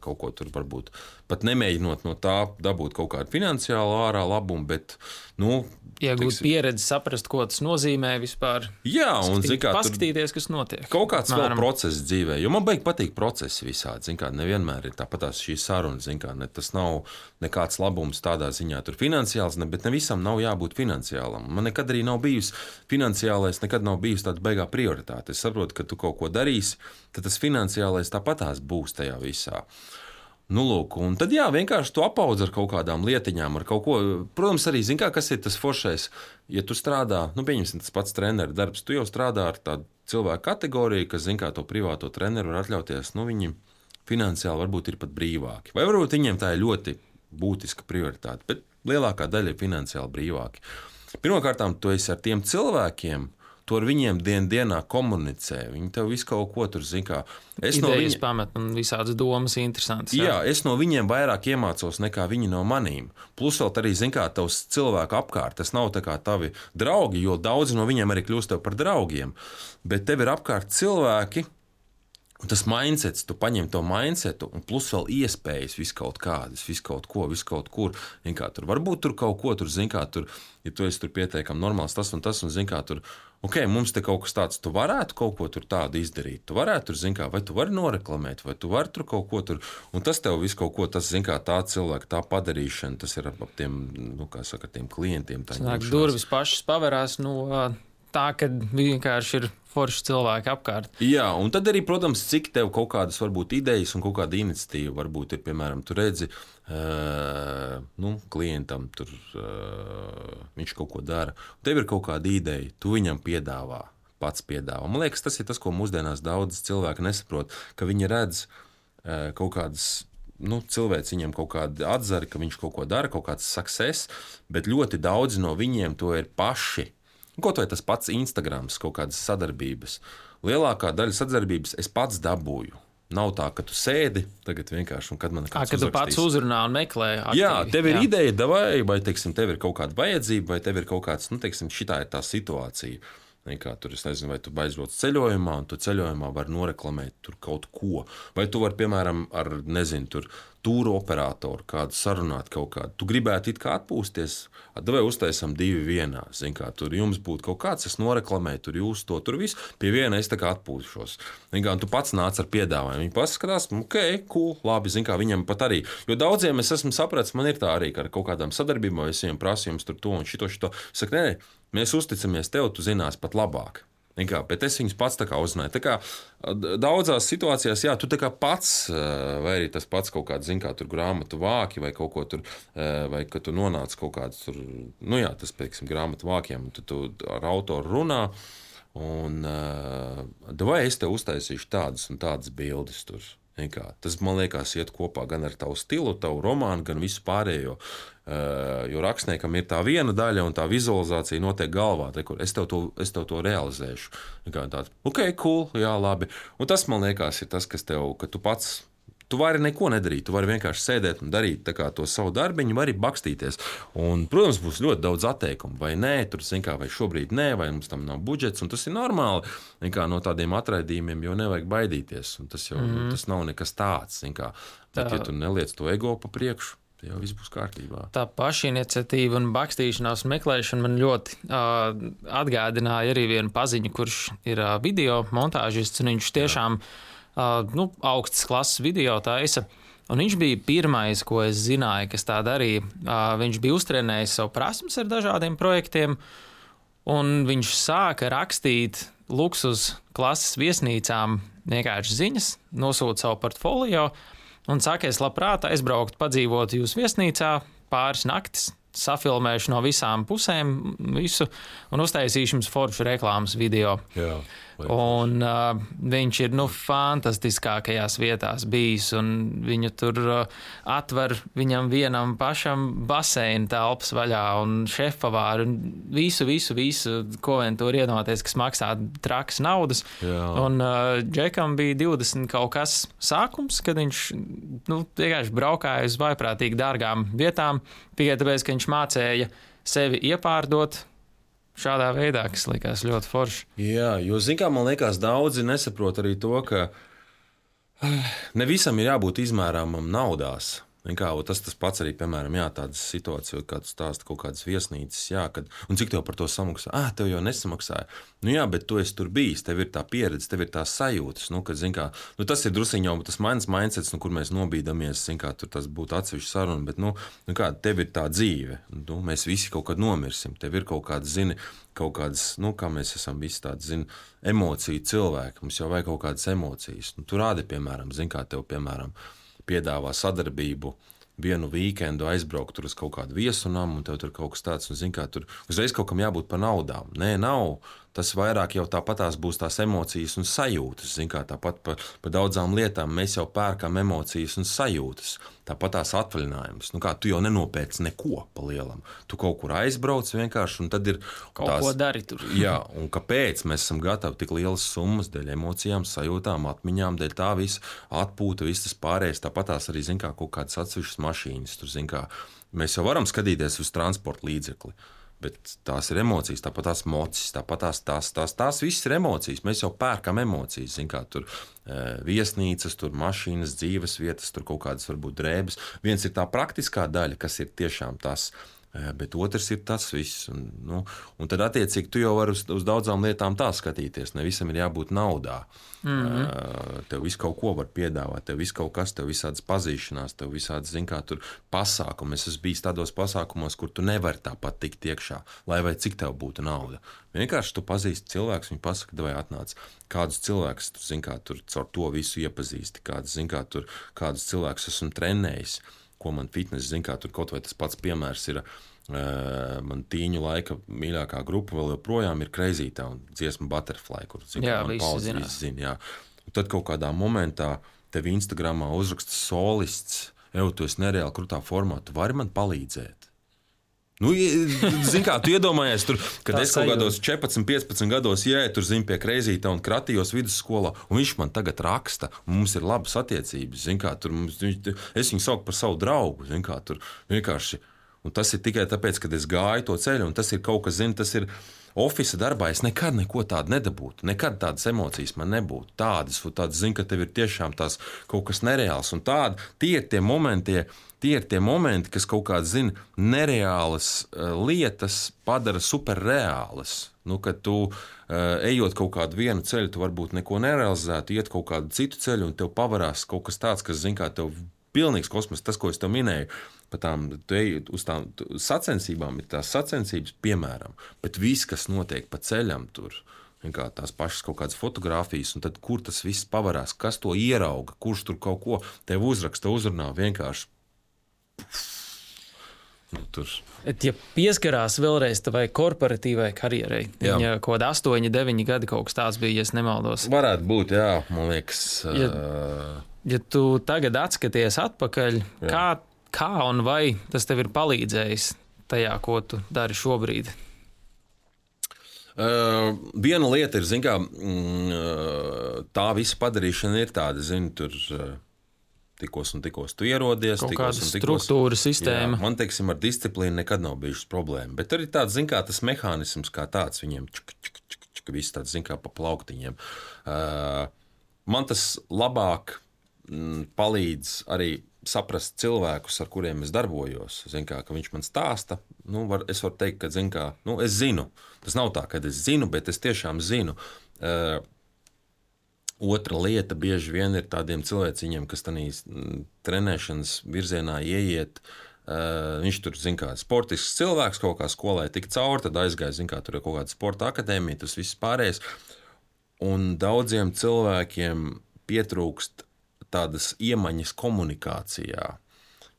S2: kaut ko tur varbūt pat nemēģinot no tā dabūt kaut kādu finansiālu ārā labumu, bet, nu...
S1: Iegūt pieredzi, saprast, ko tas nozīmē vispār.
S2: Jā, un, zin kā,
S1: paskatīties, kas notiek.
S2: Kaut kāds vēl process dzīvē, jo man baigi patīk procesi visādi, zin kā, nevienmēr ir tāpatās šī saruna, zin kā, ne, tas nav nekāds labums tādā ziņā tur finansiāls, ne, bet ne visam nav jābūt finansiālam. Man nekad arī nav bijis finansiālais, nekad nav bijis tāda baigā prioritāte. Es saprotu, ka tu kaut ko darīsi, tad tas finansiālais tāpatās būs tajā visā. Nu, lūk, un tad jā, vienkārši tu apaudz ar kaut kādām lietiņām, ar kaut ko. Protams, arī, zin kā, kas ir tas foršais, ja tu strādā, nu, pieņemsim tas pats treneru darbs, tu jau strādā ar tādu cilvēku kategoriju, kas, zin kā, to privāto treneru var atļauties, nu, viņi finansiāli varbūt ir pat brīvāki. Vai varbūt viņiem tā ir ļoti būtiska prioritāte, bet lielākā daļa ir finansiāli brīvāki. Pirmkārtām, tu esi ar tiem cilvēkiem, tu ar viņiem dien dienā komunicē. Viņi tev visu kaut ko tur zin kā.
S1: Es Idejas no viņa... pamet un visādas domas interesantas.
S2: Jā. jā, es no viņiem vairāk iemācos nekā viņi no manīm. Plus vēl arī, zin kā, tavs cilvēku apkārt. Tas nav tā kā tavi draugi, jo daudzi no viņiem arī kļūst tev par draugiem. Bet tev ir apkārt cilvēki, un tas mindsets, tu paņem to mindsetu, un plus vēl iespējas visu kaut kādas, visu kaut ko, visu kaut kur. Kā, tur varbūt tur kaut ko, tur, zin kā, tur, ja tu esi tur pietiekami normāls tas un tas, un zin kā, tur, ok, mums te kaut kas tāds, tu varētu kaut ko tur tādu izdarīt, tu varētu tur, zin kā, vai tu vari noreklamēt, vai tu vari tur kaut ko tur, un tas tev visu kaut ko, tas, zin kā, tā cilvēka, tā padarīšana, tas ir ap tiem, nu, kā saka, tiem klientiem.
S1: Sanāk, durvis pašas paverās, nu, tā, kad vienkārši ir forši cilvēki apkārt.
S2: Jā, un tad arī, protams, cik tev kaut kādas varbūt idejas un kaut kāda iniciatīva varbūt ir, piemēram, tu redzi, uh, nu, klientam tur uh, viņš kaut ko dara. Tev ir kaut kāda ideja, tu viņam piedāvā, pats piedāvā. Man liekas, tas ir tas, ko mūsdienās daudz cilvēki nesaprot, ka viņi redz uh, kaut kādas, nu, cilvēks viņam kaut kādu atzari, ka viņš kaut ko dara, kaut kāds success, bet ļoti daudzi no viņiem to ir paši. Kaut vai tas pats Instagrams, kaut kādas sadarbības. Lielākā daļa sadarbības es pats dabūju. Nav tā, ka tu sēdi tagad vienkārši, un kad man kāds
S1: uzrakstīs. Kad tu pats uzrunā un meklē aktīvi.
S2: Jā, tev ir jā. ideja, davai, vai, teiksim, tev ir kaut kāda vajadzība, vai tev ir kaut kāds, nu, teiksim, šitā ir tā situācija. Kā tur, es nezinu, vai tu aizbrauc ceļojumā, un tu ceļojumā var noreklamēt tur kaut ko. Vai tu vari, piemēram, ar, nezinu, tur tūru operatoru kādu sarunāt kaut kādu. Tu gribētu it kā atpūsties, vai uztaisam divi vienā. Zin kā, tur jums būtu kaut kāds, es noreklamēju, tur jūs to, tur visu. Pie viena es tā kā atpūšos. Zin kā, un tu pats nāc ar piedāvājumu. Viņi paskatās, ok, cool, labi, zin kā, viņam pat arī. Jo daudziem es esmu sapratis, man ir tā arī, ka ar kaut kādām sadarbībām es viņiem prasu jums tur to un šito, šito. Es saku, nē, mēs uzticamies tev, tu zinās pat labāk. Kā, bet es viņus pats tā kā uzzināju. Tā kā daudzās situācijās, jā, tu tā kā pats, vai arī tas pats kaut kāds, zin kā, tur grāmatu vāki, vai kaut ko tur, vai ka tu nonāc kaut kāds tur, nu jā, tas, pieksim, grāmatu vākiem, tu, tu ar autoru runā, un vai es tev uztaisīšu tādas un tādas bildes tur. Kā, tas, man liekas, iet kopā gan ar tavu stilu, tavu romānu, gan visu pārējo. Uh, jo rakstniekam ir tā viena daļa, un tā vizualizācija notiek galvā. Te, kur es tev to, es tev to realizēšu. Kā tāds, ok, cool, jā, labi. Un tas, man liekas, ir tas, kas tev, ka tu pats, tu vari neko nedarīt, tu vari vienkārši sēdēt un darīt tā kā to savu darbiņu, vari bakstīties. Un, protams, būs ļoti daudz atteikumu, vai nē, tur, zin kā, vai šobrīd nē, vai mums tam nav budžets, un tas ir normāli. Kā, no tādiem atraidījumiem jau nevajag baidīties, un tas jau mm. tas nav nekas tāds. Kā, bet, ja tu neliec to ego pa priekšu, tad jau viss būs kārtībā.
S1: Tā pašiniciatīva un bakstīšanās meklēšana man ļoti uh, atgādināja arī vienu paziņu, kurš ir uh, video montāžists, un viņš tiešām uh, nu, augstas klases video taisa. Un viņš bija pirmais, ko es zināju, kas tā darīja. Uh, viņš bija uztrenējis savu prasmes ar dažādiem projektiem, un viņš sāka rakstīt luksus klases viesnīcām vienkārši ziņas, nosūta savu portfolio un saka, es labprāt aizbrauktu, padzīvot jūsu viesnīcā pāris naktis, safilmēšu no visām pusēm visu un uztaisīšu jums foršu reklāmas video.
S2: Jā.
S1: Un uh, viņš ir nu, fantastiskākajās vietās bijis, un viņu tur uh, atver viņam vienam pašam baseina telpas vaļā un šefpavāru un visu, visu, visu, ko vien tur ienoties, kas maksā trakas naudas.
S2: Jā.
S1: Un uh, Džekam bija divdesmit kaut kas sākums, kad viņš nu, vienkārši braukāja uz vaiprātīgi dārgām vietām, tikai tāpēc, ka viņš mācēja sevi iepārdot šādā veidā, kas likās ļoti forši.
S2: Jā, jo, zin kā, man liekas, daudzi nesaprot arī to, ka ne visam ir jābūt izmērāmam naudās. Kā, tas tas pats arī, piemēram, jā, tādas situācijas, kad stāsta kaut kādas viesnīcas, jā, kad, un cik tev par to samaksā? Ā, tev jau nesamaksāja. Nu jā, bet tu esi tur bijis, tev ir tā pieredze, tev ir tās sajūtas, nu, kad, zin kā, nu tas ir drusiņ jau tas mans mindsets, nu, kur mēs nobīdamies, zin kā, tur tas būtu atsevišķi saruna, bet, nu, nu kā, tev ir tā dzīve, nu, mēs visi kaut kad nomirsim, tev ir kaut kādas, zini, kaut kādas, nu, kā mēs esam visi tādi, zini, emociju cilvēki, mums jau vajag kaut kādas emocijas. Nu, tu rādi, piemēram, zin kā tev, piemēram, piedāvā sadarbību, vienu vīkendu aizbraukt tur uz kaut kādu viesunam, un tev tur kaut kas tāds, un zin kā, tur uzreiz kaut kam jābūt par naudām. Nē, nav. Tas vairāk jau tāpatās būs tās emocijas un sajūtas. Zin kā, tāpat par pa daudzām lietām mēs jau pērkam emocijas un sajūtas. Tāpat tās atvaļinājumus. Nu kā, tu jau nenopērc neko pa lielam. Tu kaut kur aizbrauc vienkārši, un tad ir
S1: kaut
S2: tās,
S1: ko dari tur.
S2: Jā, un kāpēc mēs esam gatavi tik lielas summas dēļ emocijām, sajūtām, atmiņām, dēļ tā visa atpūta, viss tas pārējais. Tāpat tās arī, zin kā, kaut kādas atsevišķas mašīnas. Tur, zin kā, mēs jau varam skatīties uz transporta līdzekli. Bet tās ir emocijas, tāpat tās mocis, tāpat tās, tās, tās, tās visas ir emocijas. Mēs jau pērkam emocijas, zin kā, tur e, viesnīcas, tur mašīnas, dzīves vietas, tur kaut kādas varbūt drēbes. Viens ir tā praktiskā daļa, kas ir tiešām tas, e, bet otrs ir tas viss. Un, nu, un tad attiecīgi tu jau vari uz, uz daudzām lietām tā skatīties, ne visam ir jābūt naudā. Mm-hmm. E, tev visu kaut ko var piedāvāt, tev visu kaut kas, tev visādas pazīšanās, tev visādas, zin kā, tur pasākumi. Es esmu bijis tādos pasākumos, kur tu nevari tāpat tikt iekšā, lai vai cik tev būtu nauda. Vienkārši tu pazīsti cilvēkus, viņi pasaka, vai atnāc. Kādus cilvēkus tu, zin kā, tur caur to visu iepazīsti, kādus, zin kā, tur, kādus cilvēkus esmu trenējis, ko man fitness, zin kā, tur kaut vai tas pats piemērs ir, uh, man tīņu laika mīļākā grupa vēl joprojām ir Crazy Town, dziesma Butterfly, kur, zin kā,
S1: jā,
S2: man
S1: visi
S2: paudz
S1: zinās.
S2: visi zin, jā. Un tad kaut kādā momentā tev Instagramā uzraksta solists, ev, tu esi nereāli krutā formā, tu vari man palīdzēt? Nu, zin kā, tu iedomājies, tur, kad
S1: Tā
S2: es kaut
S1: sajūta.
S2: kādos četrpadsmit, piecpadsmit gados jē, tur zin pie Kreizīta un Kratījos vidusskolā, un viņš man tagad raksta, un mums ir labas attiecības, zin kā, tur mums, es viņu sauku par savu draugu, zin kā, tur vienkārši, un tas ir tikai tāpēc, kad es gāju to ceļu, un tas ir kaut kas, zin, tas ir ofisa darbā, es nekad neko tādu nedabūtu, nekad tādas emocijas man nebūtu, tādas, un tādas, zin, ka tev ir tiešām tās kaut kas nereāls, un tādi, tie ir tie momenti, Tie ir tie momenti, kas kaut kādas, zin, nereālas uh, lietas padara superreālas. Nu, kad tu uh, ejot kaut kādu vienu ceļu, tu varbūt neko nerealizētu, iet kaut kādu citu ceļu, un tev pavarās kaut kas tāds, kas, zin, kā tev pilnīgs kosmos, tas, ko es tev minēju, pa tām, tu ej uz tām sacensībām, ir tās sacensības, piemēram, bet viss, kas notiek pa ceļam tur, kā tās pašas kaut kādas fotogrāfijas, un tad kur tas viss pavarās, kas to ierauga, kurš tur kaut ko tev uzraksta, uzrunā vienkārši. Nu, tur.
S1: Ja pieskarās vēlreiz tavai korporatīvai karjerai,
S2: Jā.
S1: viņa kaut kāda astoņi, deviņi gadi kaut kas tāds bija, ja es nemaldos.
S2: Varētu būt, jā, man liekas.
S1: Ja,
S2: uh...
S1: ja tu tagad atskaties atpakaļ,
S2: Jā.
S1: kā, kā un vai tas tev ir palīdzējis tajā, ko tu dari šobrīd?
S2: Uh, viena lieta ir, zin kā, mm, tā visa padarīšana ir tāda, zin, tur... Uh, tikos un tikos tu ierodies.
S1: Kaut
S2: tikos
S1: kāda
S2: un tikos,
S1: struktūra, sistēma.
S2: Jā, man, teiksim, ar disciplīnu nekad nav bijušas problēma. Bet arī tāds, zin kā, tas mehānisms kā tāds viņiem, čuk, čuk, čuk, čuk, viss tāds, zin kā, pa plauktiņiem. Uh, man tas labāk mm, palīdz arī saprast cilvēkus, ar kuriem es darbojos. Zin kā, ka viņš man stāsta, nu, var, es varu teikt, ka zin kā, nu, es zinu. Tas nav tā, ka es zinu, bet es tiešām zinu. Uh, otra lieta bieži vien ir tādiem cilvēciņiem, kas tanīs trenēšanas virzienā ieiet. Uh, viņš tur, zin kā, sportisks cilvēks, kaut kā skolē tik cauri, tad aizgāja, zin kā, tur ir kaut kāda sporta akadēmija, tas viss pārējais. Un daudziem cilvēkiem pietrūkst tādas iemaņas komunikācijā.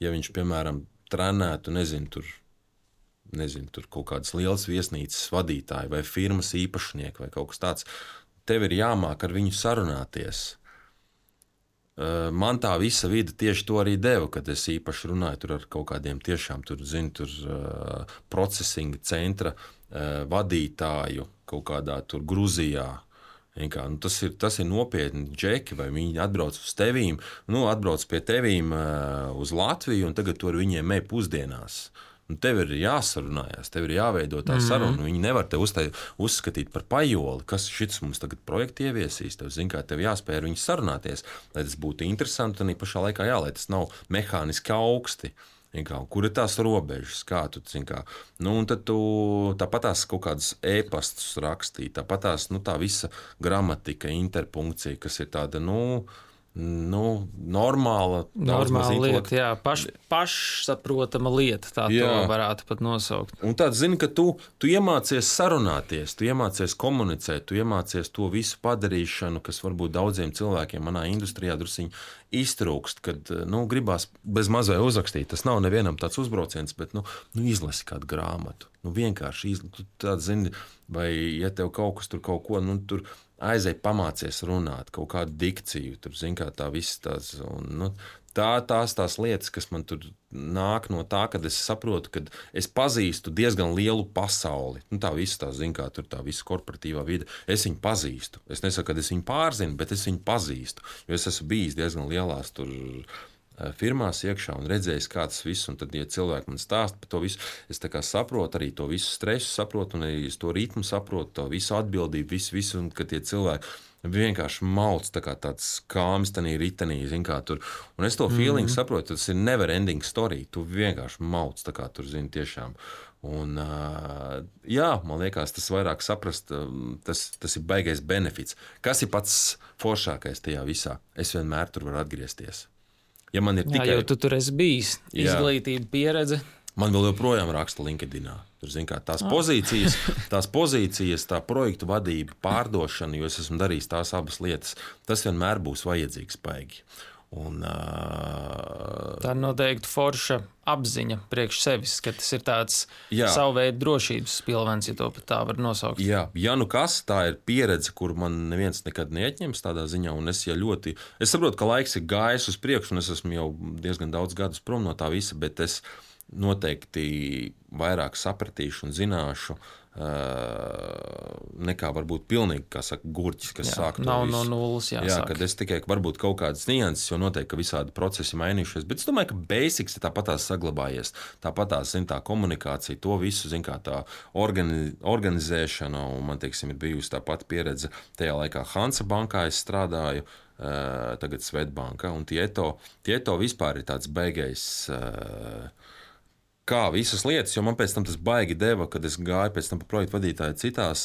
S2: Ja viņš, piemēram, trenētu, nezinu, tur, nezinu, tur kaut kādas lielas viesnīcas vadītāji vai firmas īpašnieki vai kaut kas tāds, tev ir jāmāk ar viņu sarunāties. Man tā visa vide tieši to arī deva, kad es īpaši runāju tur ar kaut kādiem tiešām tur, zinu, tur procesinga centra vadītāju kaut kādā tur Gruzijā. Kā, nu, tas, ir, tas ir nopietni džeki, vai viņi atbrauc uz tevīm, nu, atbrauc pie tevīm uh, uz Latviju, un tagad tur viņiem ej pusdienās. Nu, tev ir jāsarunājās, tev ir jāveido tā mm-hmm. saruna. Viņi nevar te uztai, uzskatīt par pajoli, kas šis mums tagad projekti ieviesīs. Tev, zin, kā, tev jāspēj ar viņu sarunāties, lai tas būtu interesanti, un pašā laikā jā, lai tas nav mehāniski augsti. Kā, kur ir tās robežas, kā tu, kā, nu, un tad tu tāpat tās kaut kādas e-pastus rakstīt, tāpat tās, nu, tā visa gramatika, interpunkcija, kas ir tāda, nu, nu normāla.
S1: Normāla lieta, jā, paš, pašsaprotama lieta, tā jā. To varētu pat nosaukt.
S2: Un tāds, zini, ka tu, tu iemācies sarunāties, tu iemācies komunicēt, tu iemācies to visu padarīšanu, kas varbūt daudziem cilvēkiem manā industrijā drusiņi iztrūkst, kad, nu, gribās bez mazai uzrakstīt. Tas nav nevienam tāds uzbrauciens, bet, nu, nu izlasi kādu grāmatu. Nu, vienkārši izlasi, tu tāds, zini, vai, ja tev kaut kas tur kaut ko, nu, tur aizēj pamācies runāt, kaut kādu dikciju, tur, zin kā tā viss tās, un, nu, tā, tās tās lietas, kas man tur nāk no tā, kad es saprotu, kad es pazīstu diezgan lielu pasauli, nu, tā viss tā, zin kā, tur tā visa korporatīvā vide, es viņu pazīstu, es nesaku, kad es viņu pārzinu, bet es viņu pazīstu, jo es esmu bijis diezgan lielās tur firmās iekšā un redzējis, kā tas viss, un tad, ja cilvēki man stāsta par to visu, es tā kā saprotu arī to visu stresu, saprotu, un arī to ritmu saprotu, to visu atbildību, visu, visu, un kad tie cilvēki vienkārši mauc tā kā tāds kāmis tanī ritenī, zin kā tur, un es to feeling mm-hmm. saprotu, tas ir never ending story, tu vienkārši mauc tā kā tur, zini, tiešām. Un, uh, jā, man liekas, tas vairāk saprast, tas, tas ir baigais benefits. Kas ir pats foršākais tajā visā? Es vienmēr tur varu atgriezties. Ja man ir tikai...
S1: Jā, jo tu tur esi bijis, izglītība, pieredze.
S2: Man vēl joprojām raksta LinkedInā. Tur, zin kā, tās pozīcijas, tās pozīcijas, tā projektu vadība, pārdošana, jo es esmu darījis tās abas lietas, tas vienmēr būs vajadzīgs baigi. Un, uh...
S1: tā noteikti forša apziņa priekš sevis, ka tas ir tāds jā. Savu veidu drošības pilvens, ja to pat tā var nosaukt.
S2: Jā, ja nu kas, tā ir pieredze, kur man neviens nekad neatņems tādā ziņā, un es ja ļoti, es saprotu, ka laiks ir gājis uz priekšu, un es esmu jau diezgan daudz gadus prom no tā visa, bet es noteikti vairāk sapratīšu un zināšu, Uh, nekā varbūt pilnīgi, kā saka, gurķis, kas jā, sāk to
S1: nav
S2: visu.
S1: No nulles jāsāk.
S2: Jā, kad es tikai varbūt kaut kādas nianses, jo noteikti, ka visādi procesi mainījušies, bet es domāju, ka basics ir tāpatās saglabājies, tāpatās, zin, tā komunikācija, to visu, zin, kā tā organi, organizēšana, un man, teiksim, ir bijusi tā pati pieredze tajā laikā Hansa bankā es strādāju, uh, tagad Svetbanka, un Tieto, Tieto vispār ir tāds beigais... Uh, kā visas lietas, jo man pēc tam tas baigi deva, kad es gāju pēc tam pa projektu vadītāju citās,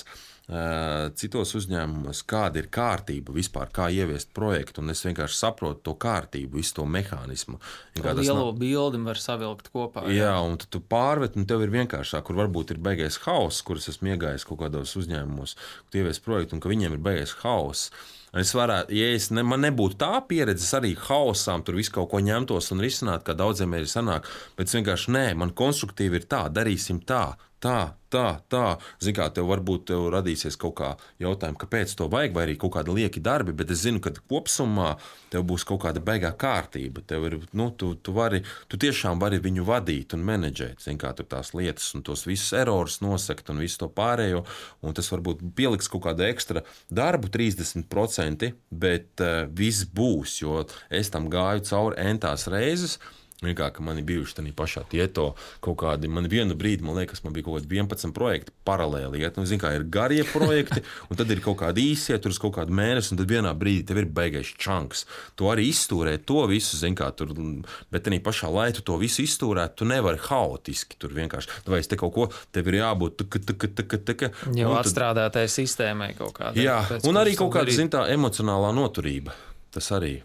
S2: uh, citos uzņēmumos, kāda ir kārtība vispār, kā ieviest projektu, un es vienkārši saprotu to kārtību, visu to mehānismu.
S1: Lielo nav... bildi var savilkt kopā.
S2: Jā, jā un tad tu pārvet, un tev ir vienkāršāk, kur varbūt ir beigais hauss, kur es esmu iegājis kaut kādos uzņēmumos, kur ievies projektu, un ka viņiem ir beigais hauss. Es varētu, ja es ne, man nebūtu tā pieredze, arī hausām tur visu kaut ko ņemtos un risināt, kā daudziem ir sanāk, bet vienkārši nē, man konstruktīvi ir tā, darīsim tā, tā, tā, tā. Zin kā, tev varbūt tev radīsies kaut kā jautājumi, kāpēc to vajag, vai arī kaut kādi lieki darbi, bet es zinu, ka kopsumā tev būs kaut kāda beigā kārtība. Tev ir, nu, tu, tu, vari, tu tiešām vari viņu vadīt un menedžēt, zin kā, tur tās lietas un tos visus erorus nosekt un visu to pārējo, un tas varbūt pieliks kaut kādu ekstra darbu, trīsdesmit procenti, bet uh, viss būs, jo es tam gāju cauri entās reizes, Vienkārši, ka man ir bijuši tādā pašā tieto kaut kādi, man vienu brīdi, man liekas, man bija kaut kādi vienpadsmit projekti paralēli iet. Nu, zin kā, ir garie projekti, un tad ir kaut kādi īsie, tur uz kaut kādu mēnesi, un tad vienā brīdī tev ir beigais čanks. Tu arī izstūrē to visu, zin kā, tur, bet tādā pašā laikā tu to visu izstūrēt, tu nevari haotiski tur vienkārši. Vai es te kaut ko, tev ir jābūt tuka, tuka, tuka, tuka.
S1: Jau atstrādātai sistēmai kaut kādā.
S2: Jā, un arī kaut kāda, zin tā, emocionālā noturība. Tas arī.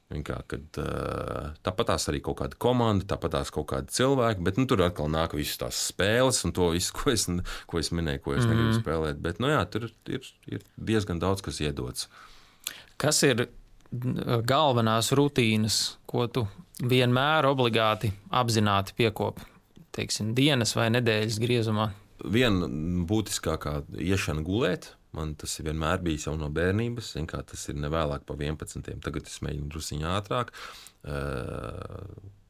S2: Kā, kad, uh, tāpatās arī kaut kāda komanda, tāpatās kaut kādi cilvēki, bet nu, tur atkal nāk visas tās spēles un to visu, ko es, ko es minēju, ko es mm. negribu spēlēt. Bet nu, jā, tur ir, ir diezgan daudz, kas iedots.
S1: Kas ir galvenās rutīnas, ko tu vienmēr obligāti apzināti piekopi? Teiksim, dienas vai nedēļas griezumā?
S2: Viena būtiskākā iešana gulēt. Man tas ir vienmēr bijis jau no bērnības, kā tas ir nevēlāk pa vienpadsmitiem. Tagad es mēģinu drusiņā ātrāk uh,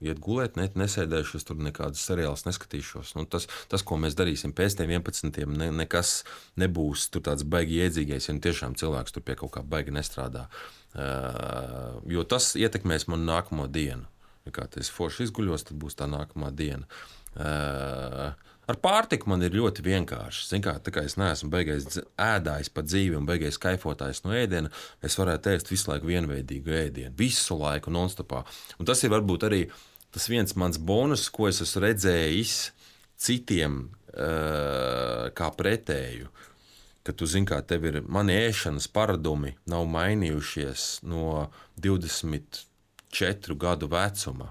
S2: iet gulēt, ne, nesēdēšu, es tur nekādus seriālus neskatīšos. Nu, tas, tas, ko mēs darīsim pēc tiem vienpadsmitiem, ne, nekas nebūs tur tāds baigi iedzīgais, ja tiešām cilvēks tur pie kaut kā baigi nestrādā. Uh, jo tas ietekmēs manu nākamo dienu. Ja kā es forši izguļos, tad būs tā nākamā diena. Uh, Ar pārtiku man ir ļoti vienkārši. Zin kā, tā kā es neesmu beigais ēdājis pa dzīvi un beigais kaifotājs no ēdiena, es varētu ēst visu laiku vienveidīgu ēdienu, visu laiku nonstopā. Un tas ir varbūt arī tas viens mans bonus, ko es esmu redzējis citiem uh, kā pretēju. Ka tu zini, kā tev ir mani ēšanas paradumi nav mainījušies no divdesmit četru gadu vecuma.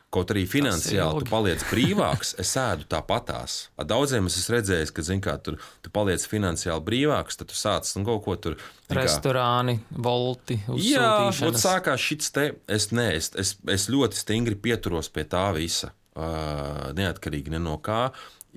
S2: Kaut arī finansiāli tu paliec brīvāks, es ēdu tāpatās. Ar daudziem es esmu redzējis, ka, zin kā, tur, tu paliec finansiāli brīvāks, tad tu sāc nu, kaut ko tur...
S1: Restorāni, volti, uzsūtīšanas.
S2: Jā, sākās šits te, es, ne, es, es, es ļoti stingri pieturos pie tā visa, uh, neatkarīgi ne no kā,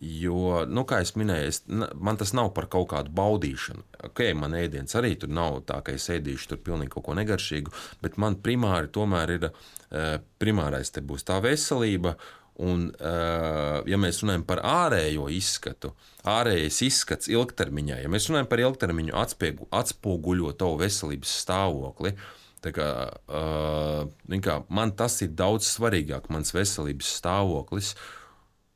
S2: jo, nu, kā es minēju, es, man tas nav par kaut kādu baudīšanu. Ok, man ēdiens arī tur nav tā, ka es ēdīšu tur pilnīgi kaut ko negaršīgu, bet man primāri tomēr ir, uh, primārais te būs tā veselība, un, uh, ja mēs runājam par ārējo izskatu, ārējais izskats ilgtermiņā, ja mēs runājam par ilgtermiņu atspiegu, atspoguļo tavu veselības stāvokli, tā kā, uh, kā, man tas ir daudz svarīgāk, mans veselības stāvoklis,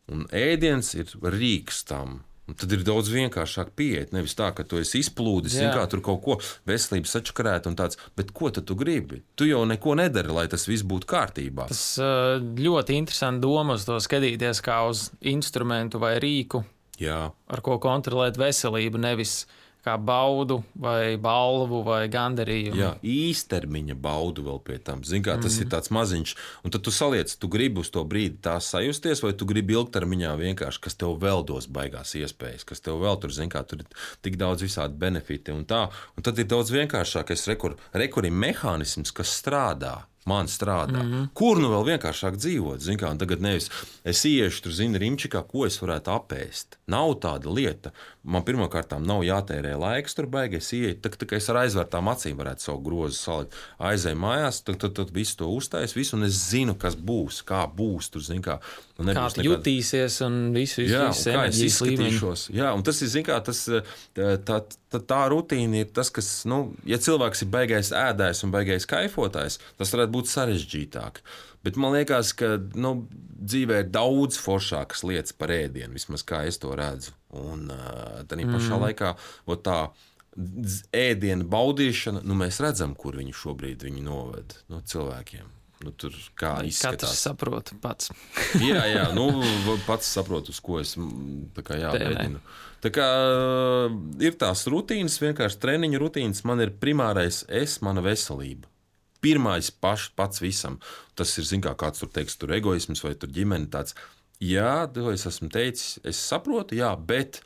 S2: un ēdiens ir rīks tam. Un tad ir daudz vienkāršāk pieiet. Nevis tā, ka tu esi izplūdis, kā tur kaut ko veselības sačakarēt un tāds, bet ko tad tu gribi? Tu jau neko nedari, lai tas viss būtu kārtībā.
S1: Tas ļoti interesanti doma uz to skatīties kā uz instrumentu vai rīku,
S2: Jā.
S1: Ar ko kontrolēt veselību, nevis kā baudu vai balvu vai gandarījumu.
S2: Jā, īstermiņa baudu vēl pie tam. Zini, kā tas mm. ir tāds maziņš. Un tad tu saliec, tu gribi uz to brīdi tā sajusties, vai tu gribi ilgtermiņā vienkārši, kas tev vēl dos baigās iespējas, kas tev vēl tur, zini, kā tur ir tik daudz visādi benefiti un tā. Un tad ir daudz vienkāršākais rekur, rekuri mehānisms, kas strādā. Man strādā. Mm-hmm. Kur nu vēl vienkāršāk dzīvot? Zin kā, un tagad nevis es iešu tur, zini, rimčikā, ko es varētu apēst. Nav tāda lieta. Man pirmkārtām nav jātērē laiks tur baigi. Es ieju, tā, tā kā es ar aizvērtām acīm varētu savu grozu salikt. Aizēju mājās, tad, tad, tad visu to uztais, visu, un es zinu, kas būs, kā būs tur, zin kā.
S1: Kā tu nekāda... jutīsies un visu, visu,
S2: jā,
S1: visu
S2: un kā es
S1: izskatīšos.
S2: Jā, un tas ir, zin kā, tas, tā, tā, tā, tā rutīna ir tas, kas, nu, ja cilvēks ir baigais ēdājs un baigais kaifotājs, tas varētu būt sarežģītāk. Bet man liekas, ka, nu, dzīvē ir daudz foršākas lietas par ēdienu, vismaz kā es to redzu. Un tā mm. pašā laikā, tā ēdiena baudīšana, nu, mēs redzam, kur viņi šobrīd viņi noved, nu, cilvēkiem. Nu, tur kā izskatās.
S1: Katrs saprot pats.
S2: jā, jā, nu, pats saprotu, uz ko es tā kā jāmēģinu. Tā kā ir tās rutīnas, vienkārši treniņu rutīnas, man ir primārais es, mana veselība. Pirmais paš, pats visam. Tas ir, zin kā, kāds tur teiks, tur egoisms vai tur ģimene tāds. Jā, to es esmu teicis, es saprotu, jā, bet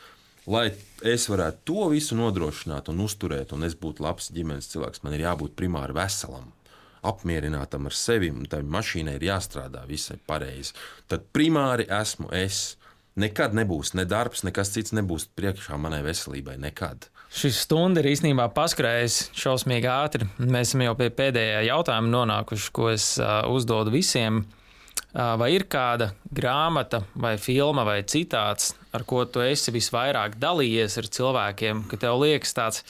S2: lai es varētu to visu nodrošināt un uzturēt, un es būtu labs ģimenes cilvēks, man ir jābūt primāri veselam. Apmierinātam ar sevi, un tai mašīnai ir jāstrādā visai pareizi. Tad primāri esmu es. Nekad nebūs ne darbs, nekas cits nebūs priekšā manai veselībai. Nekad.
S1: Šis stunda ir īstenībā paskrējis šausmīgi ātri. Mēs esam jau pie pēdējā jautājuma nonākuši, ko es uh, uzdodu visiem. Uh, vai ir kāda grāmata vai filma vai citāts, ar ko tu esi visvairāk dalījies ar cilvēkiem, ka tev liekas tāds...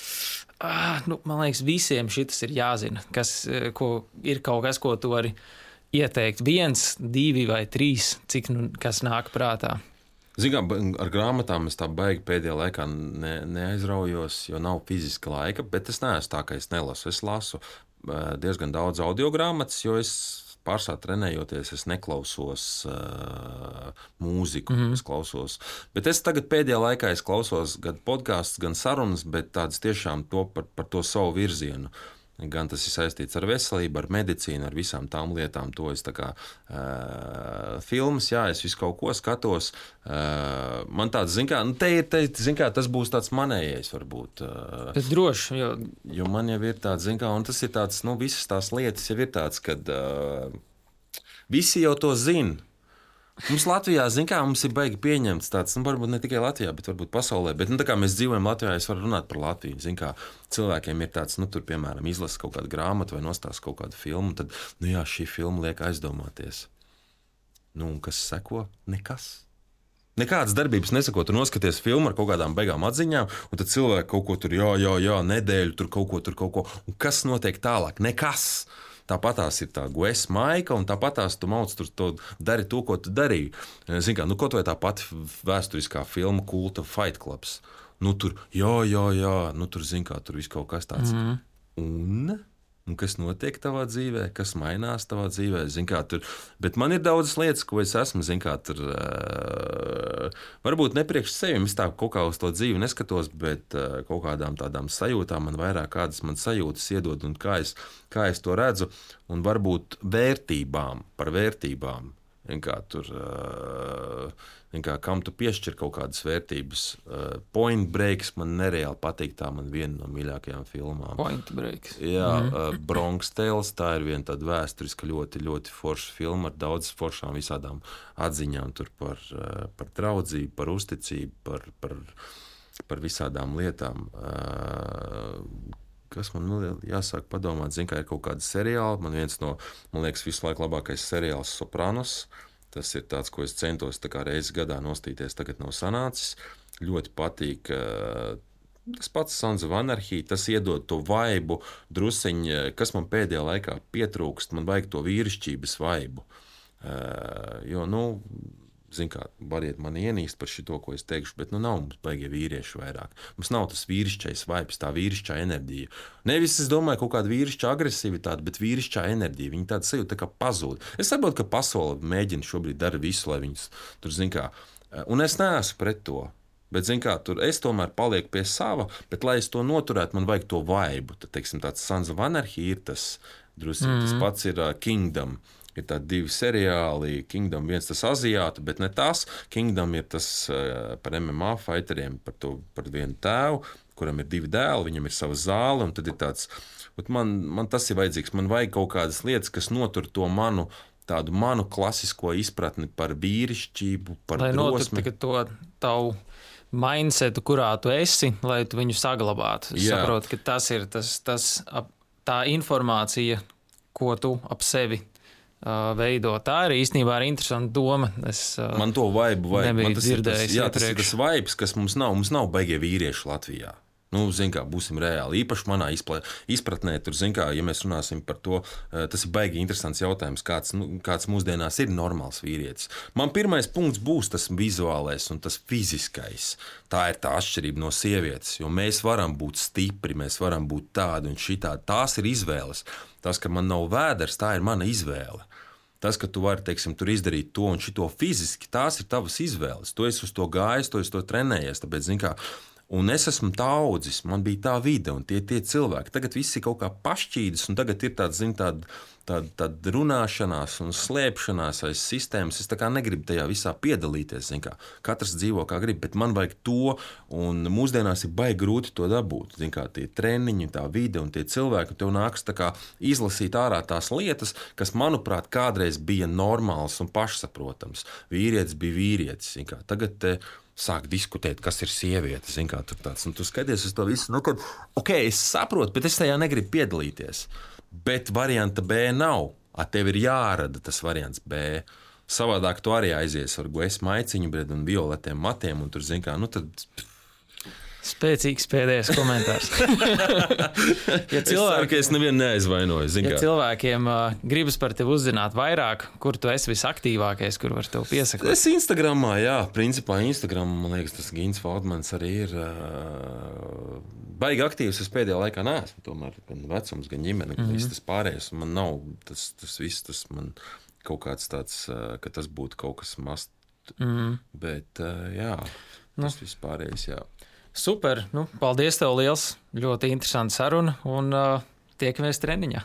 S1: Ah, nu, man liekas, visiem šitas ir jāzina, kas ko, ir kaut kas, ko tu vari ieteikt? Viens, divi vai trīs, cik nu kas nāk prātā?
S2: Zinām, ar grāmatām es tā baigi pēdējā laikā ne, neaizraujos, jo nav fiziska laika, bet es neesmu tā, ka es nelasu. Es lasu diezgan daudz audio grāmatas, jo es pārsvarā trenējoties, es neklausos uh, mūziku, mm-hmm. es klausos. Bet es tagad pēdējā laikā es klausos gan podkāstus, gan sarunas, bet tādas tiešām to par, par to savu virzienu. Gan tas ir saistīts ar veselību, ar medicīnu, ar visām tām lietām. To es tā kā uh, filmas, jā, es visu kaut ko skatos. Uh, man tāds, zin kā, nu te ir, te, zin kā, tas būs tāds manējais varbūt. Uh,
S1: Bet droši, jo...
S2: jo man jau ir tāds, zin kā, un tas ir tāds, nu visas tās lietas jau ir tāds, kad uh, visi jau to zina. Mums Latvijā, zin kā, mums ir baigi pieņemts tāds, nu, varbūt ne tikai Latvijā, bet varbūt pasaulē, bet, nu, tā kā mēs dzīvojam Latvijā, es varu runāt par Latviju, zin kā, cilvēkiem ir tāds, nu, tur, piemēram, izlasa kaut kādu grāmatu vai nostās kaut kādu filmu, tad, nu, jā, šī filma liek aizdomāties. Nu, un kas seko? Nekas. Nekādas darbības nesako, tu noskaties filmu ar kaut kādām beigām atziņām, un tad cilvēki kaut ko tur, jā, jā, jā, nedēļu, tur kaut ko, tur kaut ko, un kas notiek tālāk? Nekas. Tāpat tās ir tā guesa maika, un tāpat tās tu mauc, tur to dari to, ko tu darīji. Zini, kā, nu, kaut vai tā pati vēsturiskā filma Kulta Fight Clubs. Nu, tur, jā, jā, jā, nu, tur, zini, kā, tur viss kaut kas tāds. Mm. Un, un kas notiek tavā dzīvē, kas mainās tavā dzīvē, zini, kā, tur. Bet man ir daudzas lietas, ko es esmu, zini, kā, tur, uh, varbūt nepriekš sevi, es tā kaut kā uz to dzīvi neskatos, bet uh, kaut kādām tādām sajūtām man vairāk kādas man sajūtas iedod, un kā es, kā es to redzu, un varbūt vērtībām, par vērtībām, kā tur, kā, kam tu piešķir kaut kādas vērtības. Point Breaks man nereāli patīk, tā man viena no mīļākajām filmām.
S1: Point Breaks.
S2: Jā, mm-hmm. Bronx Tales, tā ir viena tāda vēsturiska ļoti, ļoti forša filma ar daudz foršām visādām atziņām tur par, par draudzību, par uzticību, par, par, par visādām lietām. Kas man nu, jāsāk padomāt, zin, kā ir kaut kāda seriāla. Man viens no, man liekas, visu laiku labākais seriāls Sopranos. Tas ir tāds, ko es centos tā kā reizi gadā nostīties, tagad nav sanācis. Ļoti patīk. Tas pats Sons of Anarchy, tas iedod to vaibu drusiņu, kas man pēdējā laikā pietrūkst. Man vajag to vīrišķības vaibu. Jo, nu, zin kā, variet mani ienīst par šito, ko es teikšu, bet nu nav mums baigie vīrieši vairāk. Mums nav tas vīrišķais vaibs, tā vīrišķā enerģija. Nevis, es domāju, kaut kāda vīrišķa agresivitāte, bet vīrišķā enerģija. Viņa tāda sajūta tā kā pazūd. Es saprotu, ka pasaule mēģina šobrīd dara visu, lai viņas tur, zin kā, un es neesmu pret to. Bet, zin kā, tur es tomēr palieku pie sava, bet, lai es to noturētu, man vajag to vaibu. Tad, teiksim, tāds Sons of Anarchy ir tas, drusi, mm-hmm. tas pats ir uh, Kingdom. Ir tādi divi seriāli, Kingdom viens tas aziātu, bet ne tas. Kingdom ir tas uh, par M M A fighteriem, par, to, par vienu tēvu, kuram ir divi dēli, viņam ir sava zāle, un tad ir tāds, man, man tas ir vajadzīgs, man vajag kaut kādas lietas, kas notur to manu, tādu manu klasisko izpratni par vīrišķību, par
S1: lai
S2: drosmi.
S1: Lai notur to tavu mindsetu, kurā tu esi, lai tu viņu saglabātu. Es Jā. saprotu, ka tas ir tas, tas, tā informācija, ko tu ap sevi veido. Tā ir īstenībā arī interesanta doma. Es
S2: man to vaibu vajag.
S1: nebiju
S2: Man tas
S1: dzirdējis.
S2: Ir tas, jā, tas ir tas vaibs, kas mums nav. Mums nav baigie vīrieši Latvijā. Nu, zin kā, būsim reāli. Īpaši manā izpratnē, tur, zin kā, ja mēs runāsim par to, tas ir baigi interesants jautājums, kāds, nu, kāds mūsdienās ir normāls vīrietis. Man pirmais punkts būs tas vizuālais un tas fiziskais. Tā ir tā atšķirība no sievietes, jo mēs varam būt stipri, mēs varam būt tādi un šitādi. Tās ir izvēles. Tas, ka man nav vēders, tā ir mana izvēle. Tas, ka tu vari, teiksim, tur izdarīt to un šito fiziski, tās ir tavas izvēles. Tu esi uz to gājis, tu esi to trenējies, tāpēc, zin kā, un es esmu tā audzis, man bija tā vide un tie, tie cilvēki. Tagad viss ir kaut kā pašķīdis, un tagad ir tāds, zin, tāda, tāda, tāda runāšanās un slēpšanās aiz sistēmas. Es tā kā negribu tajā visā piedalīties, zin kā. Katrs dzīvo kā grib, bet man vajag to, un mūsdienās ir baigi grūti to dabūt. Zin kā, tie treniņi, tā vide un tie cilvēki, tev nāks tā kā izlasīt ārā tās lietas, kas, manuprāt, kādreiz bija normāls un pašsaprotams. Vīrietis bija vīrietis, zin kā. Tagad te sāk diskutēt, kas ir sieviete, zin kā, tur tāds, un tu skaties uz to visu, nu, kad, ok, es saprotu, bet es tajā negribu piedalīties. Bet varianta B nav. A tev ir jārada tas variants B. Savādāk tu arī aizies ar gues maiciņu, bred, un violetiem matiem, un tur, zin kā, nu tad...
S1: Spēcīgs pēdējais komentārs. ja
S2: cilvēki... Es ceru, ka es nevienu neaizvainoju.
S1: Ja cilvēkiem uh, gribas par tevi uzzināt vairāk, kur tu esi visaktīvākais, kur var tev piesakot?
S2: Es Instagramā, jā, principā Instagram, man liekas, tas Gins Feldmans arī ir uh, baigi aktīvs. Es pēdējā laikā neesmu, tomēr gan vecums, gan ģimene, gan mm-hmm. viss tas pārējais. Man nav tas, tas viss, tas man kaut kāds tāds, uh, ka tas būtu kaut kas mast. Mm-hmm. Bet, uh, jā, tas nu. Viss pārējais, jā.
S1: Super, nu, paldies tev liels, ļoti interesanta saruna un uh, tiekamies treniņā.